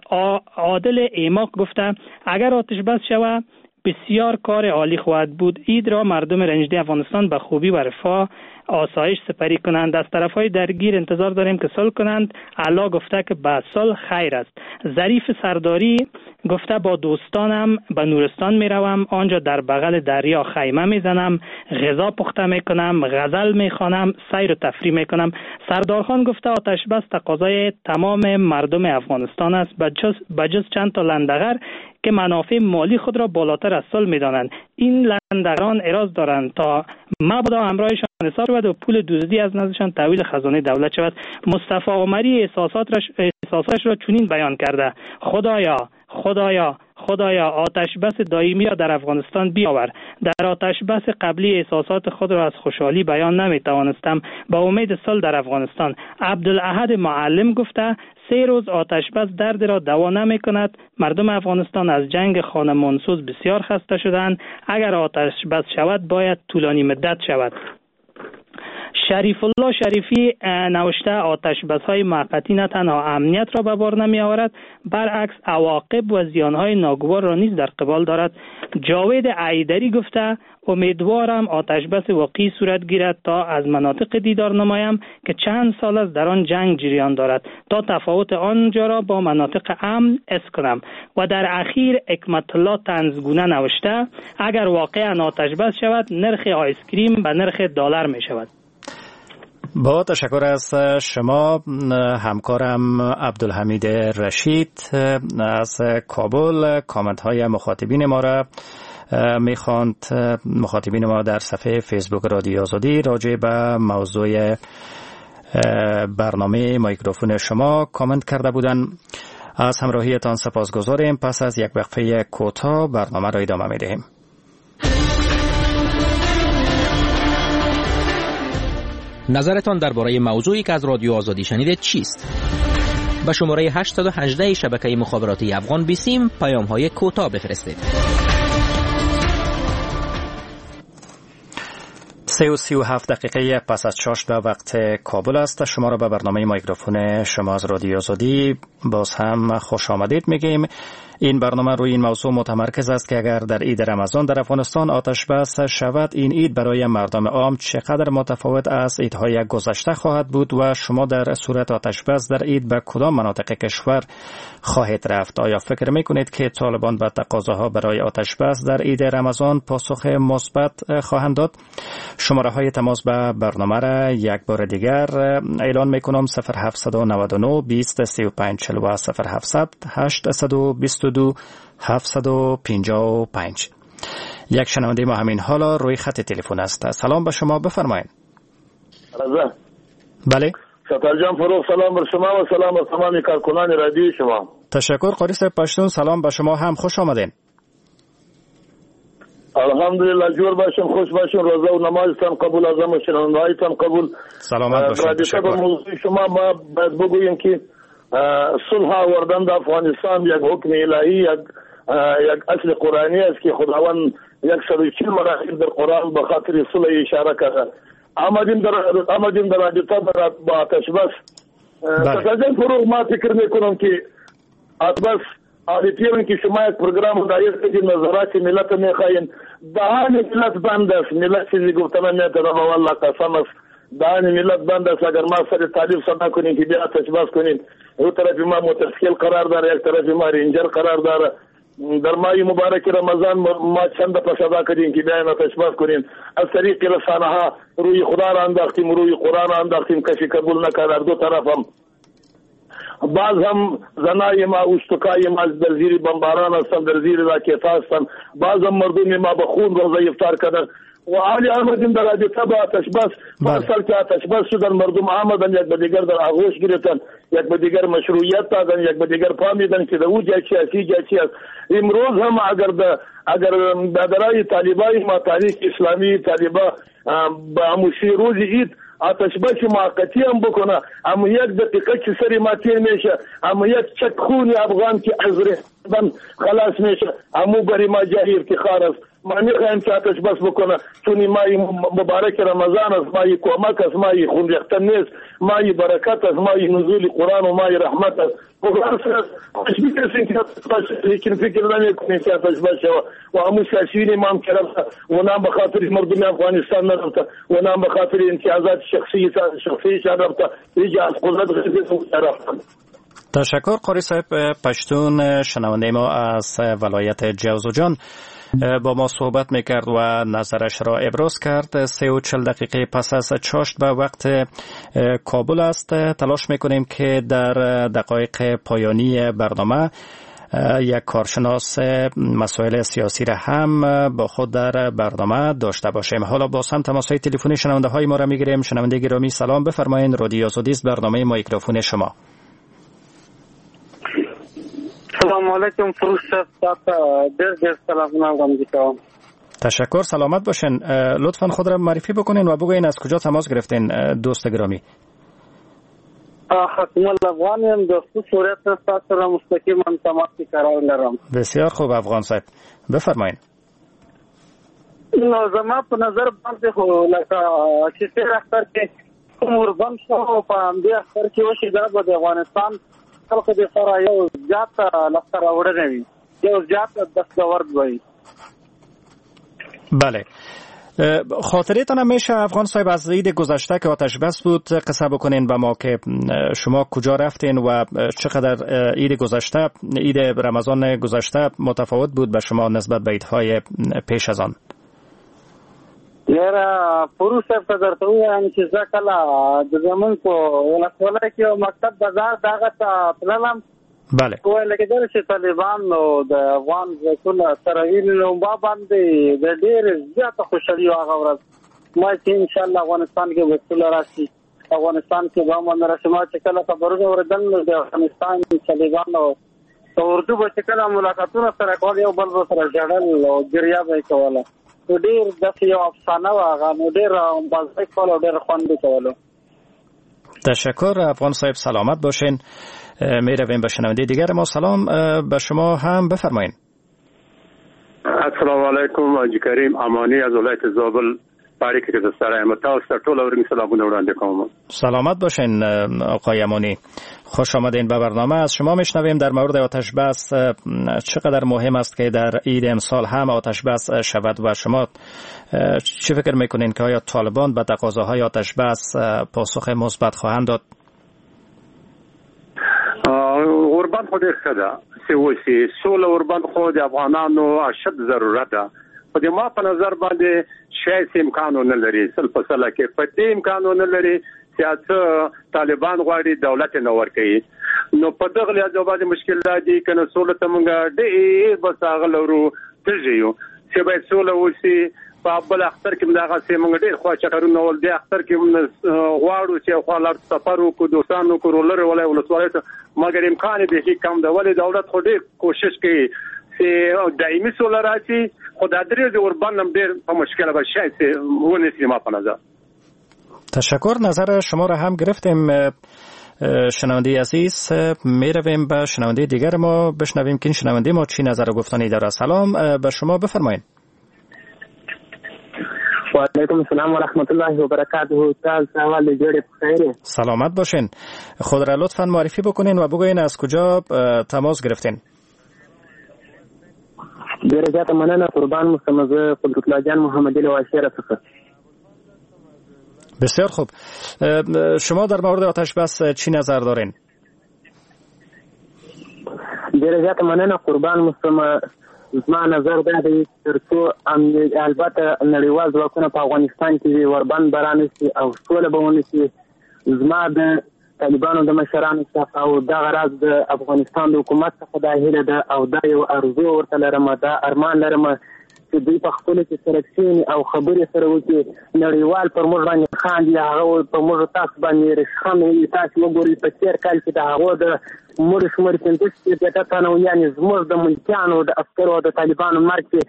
عادل ایماق گفته اگر آتش بس شود بسیار کار عالی خواهد بود. عید را مردم رنجده افغانستان به خوبی و رفاه آسایش سپری کنند. از طرفهای درگیر انتظار داریم که صلح کنند. الله گفته که به صلح خیر است. ظریف سرداری گفته با دوستانم به نورستان می روم، آنجا در بغل دریا خیمه می زنم، غذا پخته می کنم، غزل می خوانم، سیر و تفریح می کنم. سردارخان گفته آتش بس تقاضای تمام مردم افغانستان است، بجز چند تا لندغر که منافع مالی خود را بالاتر از صلح می دانند. این لندغران اراز دارند تا مبادا همراهشان حساب شود و پول دزدی از نزدشان تحویل خزانه دولت شود. مصطفی عمری احساساتش را چنین بیان کرده: خدایا خدایا خدایا آتش بس دائمی را در افغانستان بیاور. در آتش بس قبلی احساسات خود را از خوشحالی بیان نمی توانستم. با امید صلح در افغانستان. عبدالاحد معلم گفته سه روز آتش بس درد را دوا نمی کند. مردم افغانستان از جنگ خانمانسوز بسیار خسته شدند. اگر آتش بس شود باید طولانی مدت شود. شریف الله شریفی نوشته آتش بس های موقتی نه تنها امنیت را به بار نمی آورد، برعکس عواقب و زیان های ناگوار را نیز در قبال دارد. جاوید عیدری گفته امیدوارم آتش بس واقعی صورت گیرد تا از مناطق دیدار نمایم که چند سال است در آن جنگ جریان دارد تا تفاوت آنجا را با مناطق امن اس کنم. و در اخیر حکمت الله طنزگونه نوشته اگر واقعا آتش بس شود نرخ آیسکریم به نرخ دلار می شود. با تشکر از شما همکارم عبدالحمید رشید از کابل کامنت های مخاطبین ما را میخواند. مخاطبین ما در صفحه فیسبوک رادیو آزادی راجع به موضوع برنامه میکروفون شما کامنت کرده بودند. از همراهیتان سپاسگزاریم. پس از یک وقفه کوتاه برنامه را ادامه میدهیم. نظرتان درباره موضوعی که از رادیو آزادی شنیدید چیست؟ به شماره هشت یک هشت شبکه مخابراتی افغان بیسیم پیام‌های کوتاه بفرستید. سه و سی و هفت دقیقه پس از چاشت به وقت کابل است. شما را به برنامه میکروفون شما از رادیو آزادی باز هم خوش آمدید میگیم. این برنامه روی این موضوع متمرکز است که اگر در عید رمضان در افغانستان آتش بس شود، این عید برای مردم عام چقدر متفاوت از عیدهای گذشته خواهد بود و شما در صورت آتش بس در عید به کدام مناطق کشور خواهید رفت؟ آیا فکر میکنید که طالبان به تقاضاها برای آتش بس در عید رمضان پاسخ مثبت خواهند داد؟ شماره های تماس به برنامه را یک بار دیگر اعلان میکنم: صفر هفت نه نه بیست سی و پنج چهل و صفر هفت هشت بیست و دو هفتصد و پنجاه و پنج. یک شنونده ما همین حالا روی خط تلفن است. سلام به شما، بفرمایید. بله ستار جان فروغ، سلام بر شما و سلام بر تمام کارکنان رادیو شما. تشکر قاری صاحب پشتون، سلام به شما هم، خوش آمدین. الحمدلله، جور باشین، خوش باشین، روزه و نمازتان قبول، اعظم و شنوندهایتان قبول. سلامت باشین. تشکر. موضوع شما ما باید بگوییم که صلح آوردن در افغانستان یک حکم الهی، یک یک اصل قرآنی است که خداوند صد و چهل مراتب در قرآن به خاطر صلح اشاره کرده. آمدیم در آمدیم در رابطه با آتش بس. تازه فروغ، ما فکر میکنم که آتش بس آدیتیون که شما یک پروگرام دایر کردین، نظرات ملت میخواین، دهان ملت بند است، ملت چیزی گفتن نمیتونه، والله قسم است، دهان ملت بند است. اگر ما سر طالب صدا کنیم که بیا آتش بس کنیم، دو طرف ما موتورسیکل قرار داره، یک طرف ما رینجر قرار داره. در ماه مبارک رمضان ما چند دفعه صدا کردیم که بیاین آتش بس کنیم، از طریق رسانه ها روی خدا را انداختیم، روی قرآن را انداختیم، کسی قبول نکرد. دو طرف هم باز هم زنای ما، اوشتکای ما در زیر بمباران هستند، در زیر راکت هستند. باز هم مردم ما به خون روزه افطار کردن و حالی آمدیم در رابطه با آتش بس. پارسال که آتش بس شدن مردم آمدن یک به دیگر در آغوش گرفتن، یک به دیگر مشروعیت دادن، یک به دیگر فهمیدن که در او جای چی است، جای چی است. امروز هم اگر د اگر برادرای طالبای ما تحریک اسلامی طالبا به هموشی روز عید آتش بس موقتی هم بکنه، اما یک دقیقه که سر ما تیر میشه، اما یک چک خون افغان که از ریختن خلاص میشه، امو برای ما جای افتخار است. ما میخوایم که آتش بس بکنه، چون ماه مبارک رمضان است، ماه کمک است، ماه خون ریختن نیست، ماه برکت است، ماه نزول قرآن و ماه رحمت است. خوش می‌رسیم که آتش بس، لیکن فکر نمی‌کنیم که آتش بس شود. و همون سیاسیون ما هم که رفته و نام به خاطر مردم افغانستان نرفته و نام به خاطر امتیازات شخصی شخصیشان رفته، هیچ از قدرت رفتن. تشکر قاری صاحب پشتون. شنونده ما از ولایت جوزجان با ما صحبت میکرد و نظرش را ابراز کرد. سه و چل دقیقه پس از چاشت به وقت کابل است. تلاش میکنیم که در دقایق پایانی برنامه یک کارشناس مسائل سیاسی را هم با خود در برنامه داشته باشیم. حالا باز هم تماس های تلفنی شنونده های ما را میگیریم. شنونده گرامی سلام، بفرمایید. رادیو آزادی است، برنامه مایکروفون شما. سلام علیکم فروش صاحب، ډیر ډیر سلامونه وړاندې کوم. تشکر، سلامت باشین. لطفا خود را معرفی بکنین و بگوین از کجا تماس گرفتین دوست گرامی. حکمل افغان یم، د خوست ولایت نه ستاسو سره مستقیما تماس کې قرار لرم. بسیار خوب افغان صاحب، بفرمایید. نو زما په نظر باندې خو لکه چې تېر اختر کې کوم اوربند شو، په همدې اختر کې وشي، دا به د افغانستان خلکو دپاره یو زیات لاسته راوړنه وي، یو زیات دستاورد وي. بله، خاطرتان هم میشه افغان صاحب از عید گذشته که آتش بس بود قصه بکنین به ما که شما کجا رفتین و چقدر عید گذشته، عید رمضان گذشته متفاوت بود به شما نسبت به عیدهای پیش از آن؟ یاره فروش صاحب ته درته ووایم چې زه کله د زمونږ په ولسوالۍ کې یو مکتب بازار د هغه ته تللم. بله. ویل کېدل چې طالبان نو د افغان ځواکونه سره ویني، نو ما باندې د ډېرې زیاته خوشحالي وه هغه ورځ. ما چې انشاءالله افغانستان کې به سوله راشي، افغانستان کې به امن راشي. ما چې کله خبرونه اورېدل نو د افغانستان طالبانو په اردو به چې کله ملاقاتونه سره کول، یو بل به سره ژړل او ګریه به یې کوله. نو ډېر داسې یو افسانه وه هغه، نو ډېر مزه یې کوله او ډېر خوند یې کولو. تشکر افغان صاحب، سلامت باشین. می رویم به شنونده دیگر ما. سلام به شما هم، بفرمایین. السلام علیکم، حاجی کریم امانی از ولایت زابل باریک کې سره یم. تاسو ته ټول اورنګ سلامونه وړاندې کوم. سلامت باشین آقای امانی، خوش آمدین به برنامه. از شما میشنویم در مورد آتش بس چقدر مهم است که در عید امسال هم آتش بس شود و شما چه فکر میکنین که آیا طالبان به تقاضاهای آتش بس پاسخ مثبت خواهند داد؟ اوربند خو ډېر ښه ده چې وشي سوله. اوربند خو د افغانانو اشد ضرورت ده، خو د ما په نظر باندې شاید څه امکان ونه لري، سل په سله کې په دې امکان ونه لري چې څه طالبان غواړي دولت نه ورکوي. نو په دغه لحاظ باندې مشکل دا دی که نه سوله ته موږ ډېر بس هغه لرو تږي یو چې باید سوله وشي. په بل اختر کې دغسې موږ ډېر خوا چکرونه ول، دې اختر کې موږ غواړو چې خوا لاړ سفر وکړو، دوستان وکړو، لرې ولایت ولسوالۍ ته، مګر امکان یې بیخي کم ده. ولې دولت خو ډېر کوشش کوي چې دایمي سوله راشي، خو دا درې ورځې اوربند هم ډېر په مشکله به شاید چې ونیسي ما په نظر. تشکر، نظر شما را هم گرفتیم شنونده عزیز. می رویم به شنونده دیگر ما، بشنویم که این شنونده ما چی نظر و گفتنی داره. سلام به شما، بفرمایید. وعلیکم السلام و رحمت الله و برکاته. سلامت باشین. خود را لطفاً معرفی بکنین و بگوین از کجا تماس گرفتین. ډېره زیاته مننه، قربان مو سم. زه قدرت الله جان محمدي له واشیره څخه. بسیار خوب، شما در مورد آتش بس چی نظر دارین؟ ډېره زیاته مننه، قربان مو سم. زما نظر دا دی تر څو البته نړیوال ځواکونه په افغانستان کې وي، اوربند به رانشي او سوله به ونشي. زما د طالبانو د مشرانو څخه او دغه راز د افغانستان د حکومت څخه دا هیله ده او دا یو ارزو ورته لرم، دا ارمان لرم چې دوی په خپلو کې سره کښېني او خبرې سره وکړي. نړیوال پر موږ باندې خاندي، هغه په موږ تاسو باندې رشخند وي. تاسو وګورئ په تېر کال کې د هغو د مړو شمېر پنځه شپېته تنه و، یعنې زموږ د ملکیانو د عسکرو او د طالبانو مرګ چې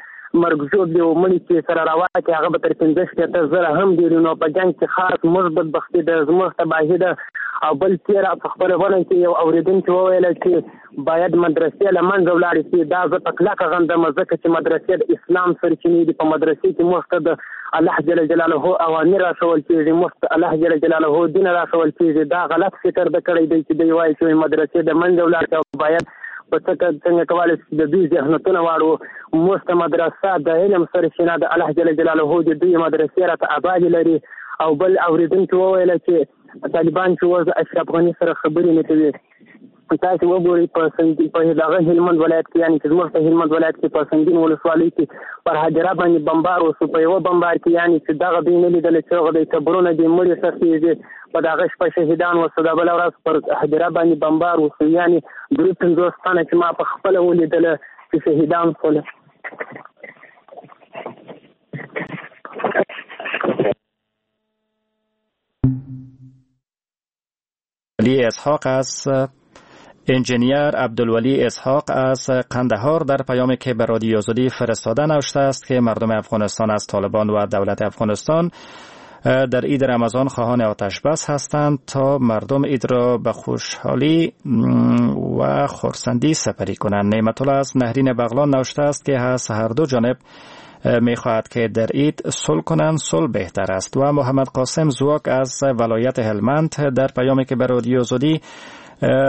مرګ ژوبلې او مړي چې سره راواکې هغه به تر پنځه شپېته زره هم ډېر. نو په جنګ کې خاص موږ بدبختي ده، زموږ تباهي ده. او بل تېره په خپرونه کې یو اورېدونکي وویل چې باید مدرسې له منځه ولاړې شي. دا زه په کلکه غندم، ځکه چې مدرسې د اسلام سرچینې دي. په مدرسې کې موږ ته د الله جل جلاله اوامر راښول کېږي، موږ ته الله جل جلاله دین راښول کېږي. دا غلط فکر د کړی دی چې دوی وایي چې مدرسې د منځه ولاړې او باید په څه څنګه کولی شو د دوی ذهنیتونه واړو. موږ ته مدرسه د علم سرچینه د الله جل جلاله د دوی مدرسې راته ابادي لري. او بل اورېدونکي وویل چې طالبان چې اوس اشرف غني سره خبرې نه کوي. تاسو وګورئ په په دغه هلمند ولایت کې، یعنې چې زموږ په هلمند ولایت کې په سنګین ولسوالۍ کې پر هدیره باندې بمبار وشو. په یوه بمبار کې یعنې چې دغه دوی نه لیدل چې هغه دی قبرونه دي مړي ښخېږي، په دغه شپه شهیدان وشو. دا بله ورځ پر هدیره باندې بمبار وشو، یعنې درې پنځوس تنه چې ما په خپله ولیدله چې شهیدان شول. علی اسحاق از انجینیر عبدالولی اسحاق از قندهار در پیامی که به رادیو آزادی فرستاده نوشته است که مردم افغانستان از طالبان و دولت افغانستان در عید رمضان خواهان آتش بس هستند تا مردم عید را به خوشحالی و خرسندی سپری کنند. نعمت الله از نهرین بغلان نوشته است که از هر دو جانب میخواهد که در عید صلح کنند، صلح بهتر است. و محمد قاسم زواک از ولایت هلمند در پیامی که به رادیو آزادی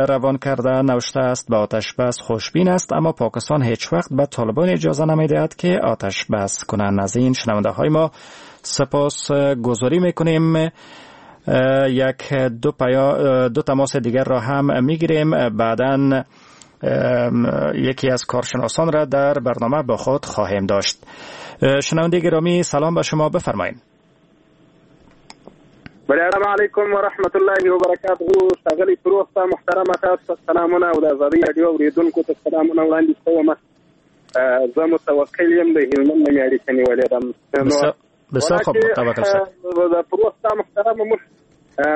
روان کرده نوشته است به آتش بس خوشبین است، اما پاکستان هیچ وقت به طالبان اجازه نمیدهد که آتش بس کنند. از این شنونده های ما سپاس گذاری میکنیم. یک دو, پیا دو تماس دیگر را هم میگیریم، بعداً یکی از کارشناسان را در برنامه با خود خواهیم داشت. شنونده گرامی سلام به شما، بفرمایید. السلام علیکم ورحمت الله وبرکاته. ښاغلی فروغ ته محترمه تاسو ته سلامونه او د ازادي راډیو اورېدونکو ته سلامونه وړاندې کوم. زه متوکل یم، د هلمند نه مې اړیکه نیولې ده. بسیار خوب، متوکل صاحب. د فروغ ته محترمه موږ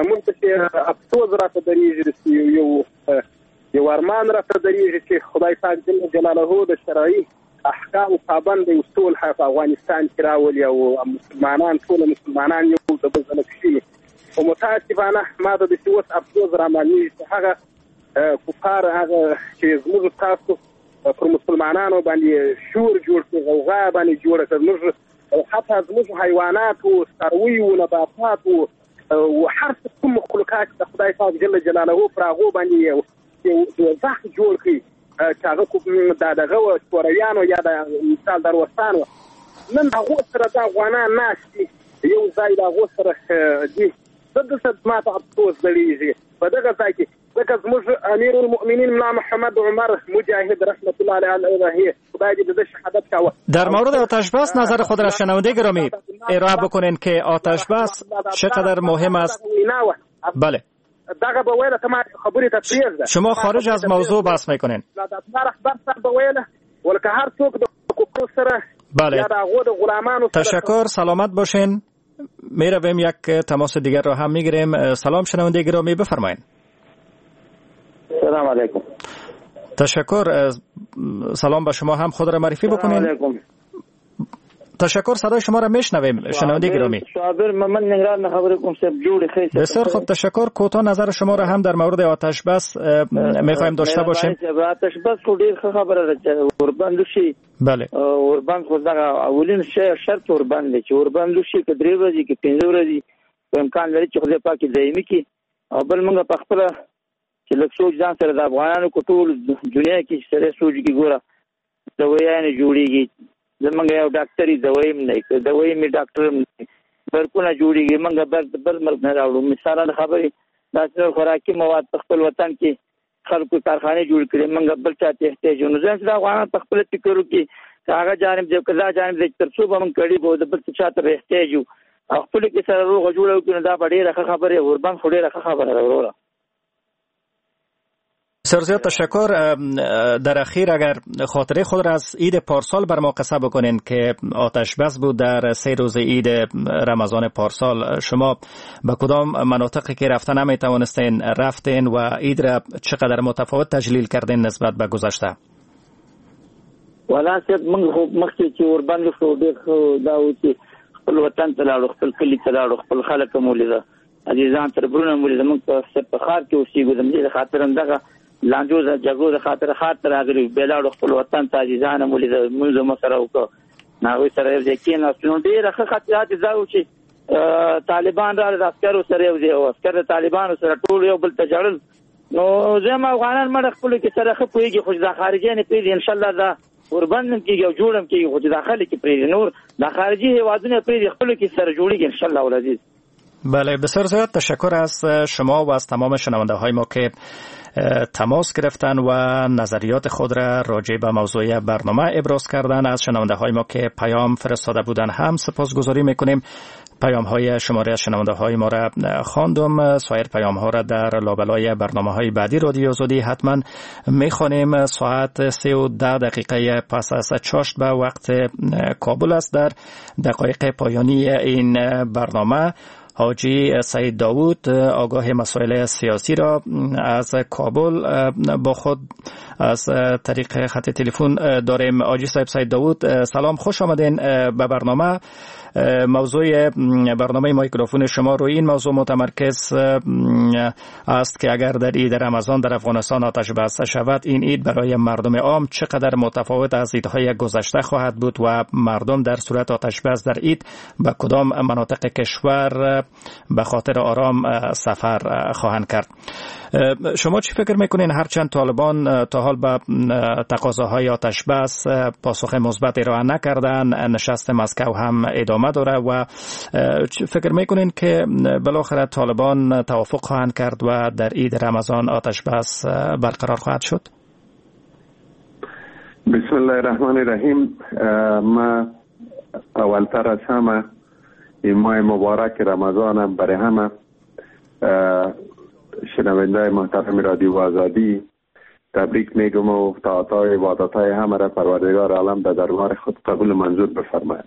موږ ته چې افسوس راته درېږي، یو یو ارمان راته درېږي چې خدای پاک جل جلاله د شرعي احکام پابند دی صلح په افغانستان کې راولي او مسلمانان ټول مسلمانان یو د بل سره کښېني. خو متاسفانه ما ته داسې اوس افسوس رامعلومېږي چې هغه کفار هغه چې زموږ تاسو پر مسلمانانو باندې شور جوړ کړ، غوغا باندې جوړه کړه، زموږ حتی زموږ حیواناتو، څارویو، نباتاتو او هر څه کوم مخلوقات د خدای پاک جل جلاله پر هغو باندې یو دوزخ جوړ کړي چې هغه کوم د دغه شورویانو یا د مثال د روسانو نن هغو سره د افغانان ناست دي، یو ځای د هغو سره دي. زه دلته ما ته افسوس درېږي په دغه ځای کې، ځکه زموږ امیر المؤمنین ملا محمد عمر مجاهد رحمت الله علیه خدای دې د ده شهادت کاوه. در مورد آتش بس نظر خود را شنونده گرامی ارائه بکنین که آتش بس چقدر مهم است. بله دغه به ویله ته ما خبرې ته پرېږده. شما خارج از موضوع بحث میکنین. الله رهبر صاحب به ویله ولکه هر څوک د کفر سره بله. یا د هغو د غلامانو سره. تشکر، سلامت باشین. میرویم یک تماس دیگر را هم میگیریم. سلام شنونده گرامی، بفرمایید. سلام علیکم. تشکر، سلام به شما هم، خود را معرفی بکنین. علیکم. تشکر، صدای شما را میشنویم شنونده گرامی. صابر من نگران خبر کوم صاحب جوړ خیر. بسیار خوب، تشکر. کوتاه نظر شما را هم در مورد آتش بس میخوایم داشته باشیم. آتش بس خو ډیر ښه خبره ده چې اوربند وشي. بله، اوربند خو دغه اولین شی شرط اوربند دی چې اوربند وشي، که درې ورځې که پنځه ورځې امکان لري چې خدای پاک دایمي کړي. او بل موږ په خپله چې لږ سوچ ځان سره د افغانانو کو ټول دنیا کې سره سوچ کې ګوره دوایانې جوړیږي، زمونږ یو ډاکټري دوایي هم نه، دوایي مې ډاکټر هم نه، برقونه جوړیږي، موږ بر بل ملک نه راوړو. مثلا خبرې داسې نور خوراکي مواد په خپل وطن کې خلکو کارخانې جوړ کړي، موږ بل چا ته احتیاج یو. نو ځکه د افغانان په خپل فکر وکړي که هغه جانب دی که دا جانب دی، تر څو به موږ کړي به د بل څه چا ته به احتیاج یو او خپلو کې سره روغه جوړه وکړو، نو دا به ډېره ښه خبره، اوربند خو ډېره ښه خبره ده وروره. بسیار زیاد تشکر. در اخیر اگر خاطره خود را از عید پارسال بر ما قصه بکنین که آتش بس بود در سه روز عید رمضان پارسال، شما به کدام مناطقی که رفته نمیتوانستین رفتین و عید را چقدر متفاوت تجلیل کردین نسبت به گذشته؟ والا صاحب موږ خو مخکې چې اوربند شو ډېر ښه دا و چې خپل وطن ته لاړو، خپل کلي ته لاړو، خپل خلک مو ولیده، عزیزان تربرونه مو ولیده. موږ په ښار کې اوسېږو، د همدې د خاطر هم دغه لانجو د جګړو د خاطر ښار ته راغلي، بیا لاړو خپل وطن ته، عزیزان مو ولیده، لمونځ مو سره وکړ، هغوی سره یو ځای کېناستو. نو ډېره ښه خاطرات دا و چې طالبان راغلل، د عسکرو سره یو ځای و، عسکر د طالبانو سره ټول یو بل ته ژړل. نو زه هم افغانان مړه خپلو کې سره ښه پوهېږي، خو چې دا خارجیان یې پرېږدي انشاءالله دا اوربند هم کېږي او جوړ هم کېږي، خو چې دا خلک یې پرېږدي، نور دا خارجي هېوادونه پرېږدي، خپلو کې سره جوړېږي انشاءالله العزیز. بله، بسیار زیاد تشکر از شما و از تمام شنونده های ما که تماس گرفتن و نظریات خود را راجع به موضوع برنامه ابراز کردن. از شنونده های ما که پیام فرستاده بودن هم سپاسگزاری میکنیم. پیام های شماری از شنونده های ما را خواندم، سایر پیام ها را در لابلای برنامه های بعدی رادیو آزادی حتما میخوانیم. ساعت سه و ده دقیقه پس از چاشت به وقت کابل است. در دقایق پایانی این برنامه حاجی سعید داوود آگاه مسائل سیاسی را از کابل با خود از طریق خط تلفن داریم. حاجی صاحب سعید داوود، سلام، خوش آمدین به برنامه. موضوع برنامه مایکروفون شما روی این موضوع متمرکز است که اگر در عید رمضان در افغانستان آتش بس شود، این عید برای مردم عام چقدر متفاوت از عیدهای گذشته خواهد بود و مردم در صورت آتش بس در عید به کدام مناطق کشور به خاطر آرام سفر خواهند کرد. شما چی فکر میکنین؟ هرچند طالبان تا حال به تقاضاهای آتش بس پاسخ مثبت ارائه نکردن، نشست مسکو هم ادامه داره و فکر میکنین که بالاخره طالبان توافق خواهند کرد و در عید رمضان آتش بس برقرار خواهد شد؟ بسم الله الرحمن الرحیم. ما اولتر از همه این ماه مبارک رمضان برای همه شنونده محترم رادیو آزادی تبریک میگم و طاعت‌های عبادت‌های همه را پروردگار عالم در دربار خود قبول منظور بفرماید.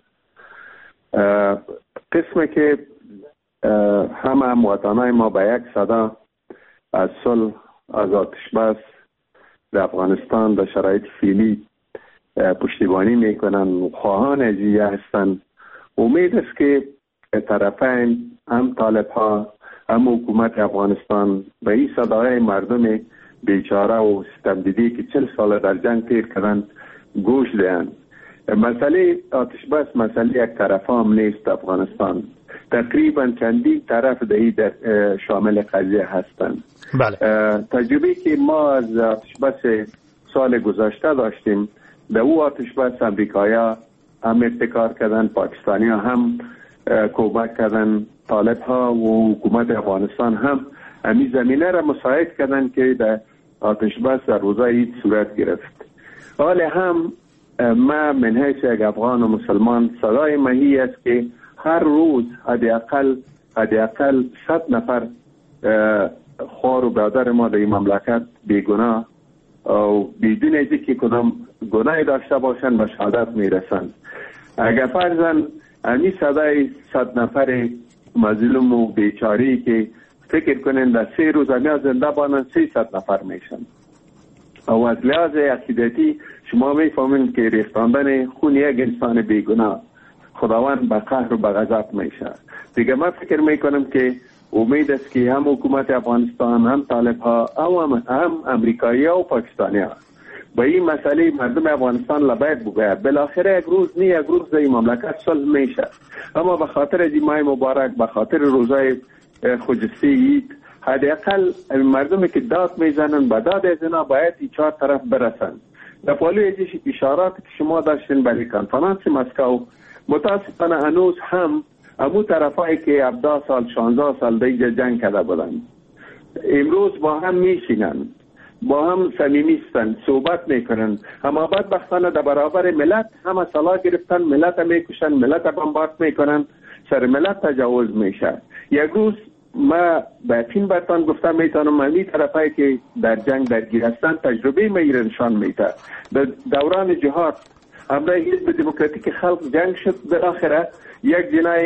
قسمه که همه هموطنای ما به یک صدا از صلح، از آتش بس در افغانستان در شرایط فعلی پشتیبانی میکنن و خواهان ازیه هستند. امید است که طرفین، هم طالب ها هم حکومت افغانستان، به این صدای مردم بیچاره و ستمدیده که چل سال در جنگ تیر کردن گوش دهند. مسئله آتش بس مسئله یک طرف هم نیست. افغانستان تقریبا چندین طرف در شامل قضیه هستند. بله. تجربه که ما از آتش بس سال گذشته داشتیم، در او آتش بس امریکایا هم ابتکار کردن، پاکستانی ها هم کمک کردن، طالب ها و حکومت افغانستان هم امی زمینه را مساعد کردن که در آتش بس در روزای عید صورت گرفت. حال هم ما من حیث یک افغان و مسلمان صدای مهی است که هر روز حداقل حداقل صد نفر خواهر و برادر ما در این مملکت بیگناه و بدون از اینکه کدام گناهی داشته باشند به شهادت میرسند. اگر فرضاً امی صدای صد نفر مظلوم و بیچاری که فکر کنن در سه روز امی زنده بانن سیصد نفر میشن. او از لحاظ عقیدتی شما میفهمین که ریختاندن خون یک انسان بیگناه خداوند به قهر و به غضب میشه. دیگه من فکر میکنم که امید است که هم حکومت افغانستان، هم طالب ها، هم هم امریکایی ها و پاکستانی ها با این مسئله مردم افغانستان لبیک بگوید. بالاخره یک روز نه یک روز در این مملکت صلح میشه، اما به خاطر از این ماه مبارک، به خاطر روزای خجسته عید، حداقل مردمی که داد میزنن به داد از اینا باید این چهار طرف برسن. در پالوی از اشارات که شما داشتین برای کنفرانس مسکو، متاسفانه هنوز هم امو طرفایی که هفده سال شانزده سال دیگه جنگ کرده بودن امروز با هم میشینن، با هم صمیمی هستن، صحبت میکنن، اما بدبختانه در برابر ملت همه سلاح گرفتن، ملت میکشن، ملت بمبارد میکنن، سر ملت تجاوز میشه. یک روز ما به یقین برتان گفتم میتونم همی طرفایی که در جنگ درگیر هستند تجربه ما ایره نشان میده. در دوران جهاد امرای حزب دموکراتیک خلق جنگ شد، بالاخره یک جناح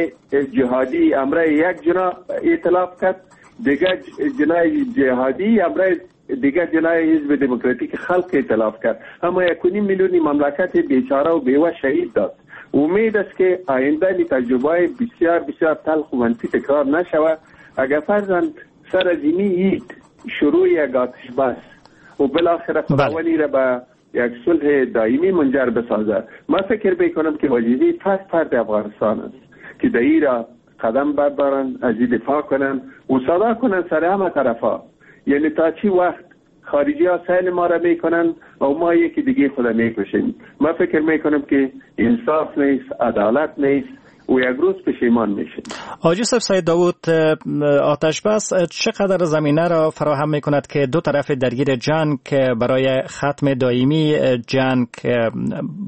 جهادی امرای یک جناح ائتلاف کرد، دیگر جناح جهادی امرای دیگر جناح حزب دموکراتیک خلق ائتلاف کرد، اما یک و نیم میلیون مملکت بیچاره و بیوه شهید داد. امید است که آینده تجربه بسیار بسیار تلخ و منفی تکرار نشود. اگر فرضاً سر از اینی عید شروع یک آتش بس و بالاخره خداوندی را به یک صلح دائمی منجر بسازه، ما فکر میکنم که وظیفه فرد فرد افغانستان است که در این را قدم بردارن، از این دفاع کنن و صدا کنن سر همه طرفا. یعنی تا چی وقت خارجی ها سیل ما را میکنن و ما یکی دیگه خود میکشیم؟ ما فکر میکنم که انصاف نیست، عدالت نیست و یک روز پشیمان میشه. حاجی صاحب سید داوود، آتش بس چقدر زمینه را فراهم میکند که دو طرف درگیر جنگ برای ختم دائمی جنگ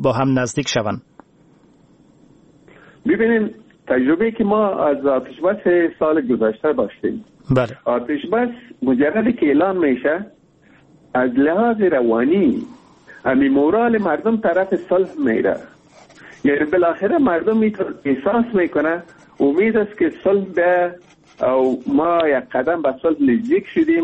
با هم نزدیک شوند؟ ببینیم تجربه که ما از آتش بس سال گذشته داشتیم، بله، آتش بس مجرد که اعلان میشه از لحاظ روانی امی مورال مردم طرف صلح میره. یعنی بالاخره مردم احساس میکنه امید است که صلح به او ما یک قدم به صلح نزدیک شدیم.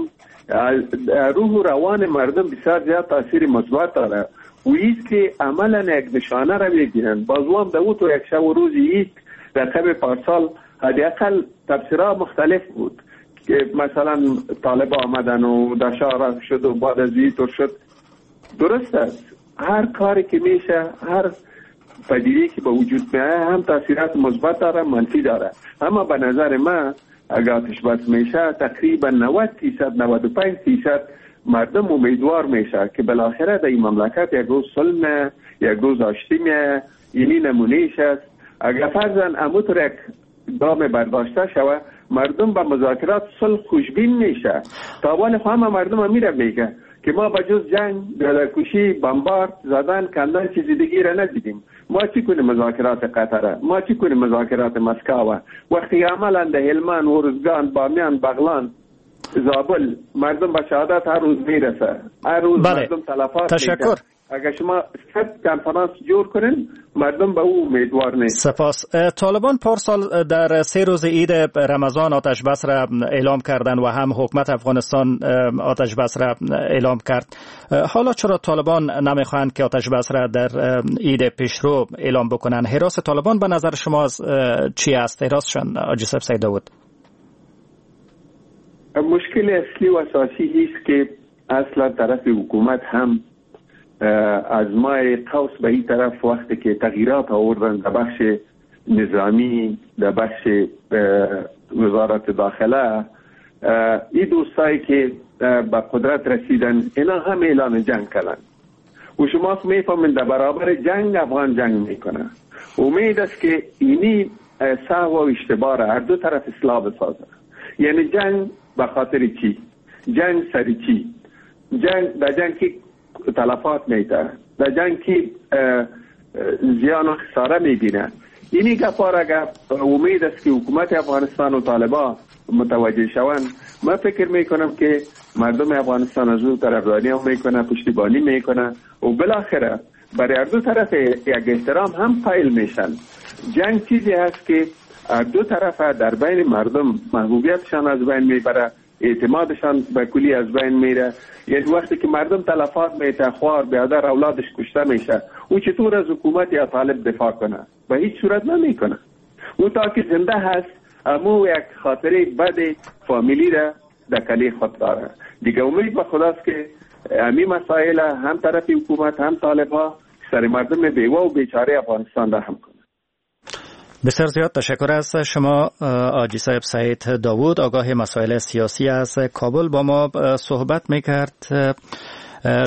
روح و روان مردم بسیار زیاد تاثیر مثبت داره و ایست که عملا یک نشانه را بگیرن. بازوام در او تو یک شب و روز عید در قبل پارسال حداقل تفسیرها مختلف بود که مثلا طالب آمدن و دشاره شد و بعد از این شد. درست است، هر کاری که میشه، هر پدیده‌ای که به وجود میاد هم تاثیرات مثبت داره، منفی داره. اما به نظر من اگر آتش بس میشه تقریبا نود درصد نود و پنج درصد مردم امیدوار میشه که بالاخره در این مملکت یک روز صلح، یک روز آشتی میه. اینی نمونهش است. اگر فرضاً اموتر یک گام برداشته شوه، مردم به مذاکرات صلح خوشبین میشه. تا اول همه مردم میره میگه که ما به جز جنگ، کشی، بمبارد زدن، کندن چیز دیگه را ندیدیم. ما چی کنیم مذاکرات قطره؟ ما چی کنیم مذاکرات مسکو؟ وقتی عملا در هلمند، ارزگان، بامیان، بغلان، زابل مردم به شهادت هر روز میرسه، هر روز بله. مردم تلفات. تشکر. اگر شما صد کنفرانس جور کنین مردم به او امیدوار نیست. سپاس. طالبان پارسال در سه روز عید رمضان آتش بس را اعلام کردند و هم حکومت افغانستان آتش بس را اعلام کرد. حالا چرا طالبان نمیخواهند که آتش بس را در عید پیشرو اعلام بکنند؟ حراس طالبان به نظر شما چی است؟ حراسشان حاجی صاحب سید داوود؟ مشکل اصلی و اساسی است که اصلا طرف حکومت هم از ماه قوس به این طرف وقتی که تغییرات آوردن در بخش نظامی، در بخش وزارت داخله، این دوستایی که به قدرت رسیدن اینا هم اعلان جنگ کردن و شما میفهمین در برابر جنگ افغان جنگ میکنه. امید است که اینی سهو و اشتباه را هر دو طرف اصلاح بسازه. یعنی جنگ به خاطر چی؟ جنگ سر چی؟ جنگ در جنگ که تلفات میده، در جنگ که زیان و خساره میبینه. اینی گپا را اگر امید است که حکومت افغانستان و طالبان متوجه شوند، من فکر میکنم که مردم افغانستان از اون طرفداری هم میکنه، پشتیبانی میکنه و بالاخره برای هر دو طرف یک احترام هم قائل میشن. جنگ چیزی هست که هر دو طرف در بین مردم محبوبیتشان از بین میبره، اعتمادشان به کلی از بین میره. یعنی وقتی که مردم تلفات میته، خوار بیادر اولادش کشته میشه، او چطور از حکومت یا طالب دفاع کنه؟ به هیچ صورت نمیکنه. او تا که زنده هست امو یک خاطره بد فامیلی را در کلی خود داره دیگه. امید به خداست که امی مسائل هم طرف حکومت هم طالب ها سر مردم بیوه و بیچاره افغانستان را هم کنه. بسیار زیاد تشکر از شما حاجی صاحب سعید داوود، آگاه مسائل سیاسی از کابل با ما صحبت میکرد.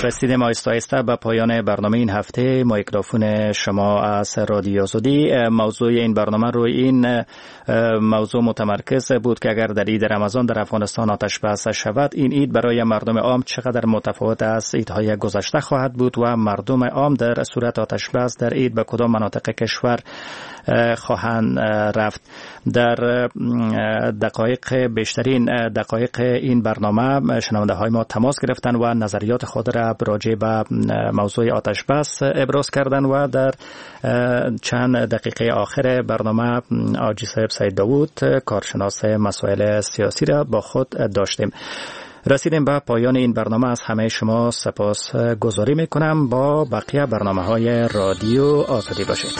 رسیدیم آهسته آهسته به پایان برنامه این هفته مایکروفون شما از رادیو آزادی. موضوع این برنامه روی این موضوع متمرکز بود که اگر در عید رمضان در افغانستان آتش بس شود، این عید برای مردم عام چقدر متفاوت از عیدهای گذشته خواهد بود و مردم عام در صورت آتش بس در عید به کدام مناطق کشور خواهند رفت. در دقایق بیشترین دقایق این برنامه شنونده های ما تماس گرفتن و نظریات خود را راجع به موضوع آتش بس ابراز کردن و در چند دقیقه آخر برنامه حاجی صاحب سید داوود کارشناس مسائل سیاسی را با خود داشتیم. رسیدیم به پایان این برنامه. از همه شما سپاس گذاری میکنم. با بقیه برنامه های رادیو آزادی باشید.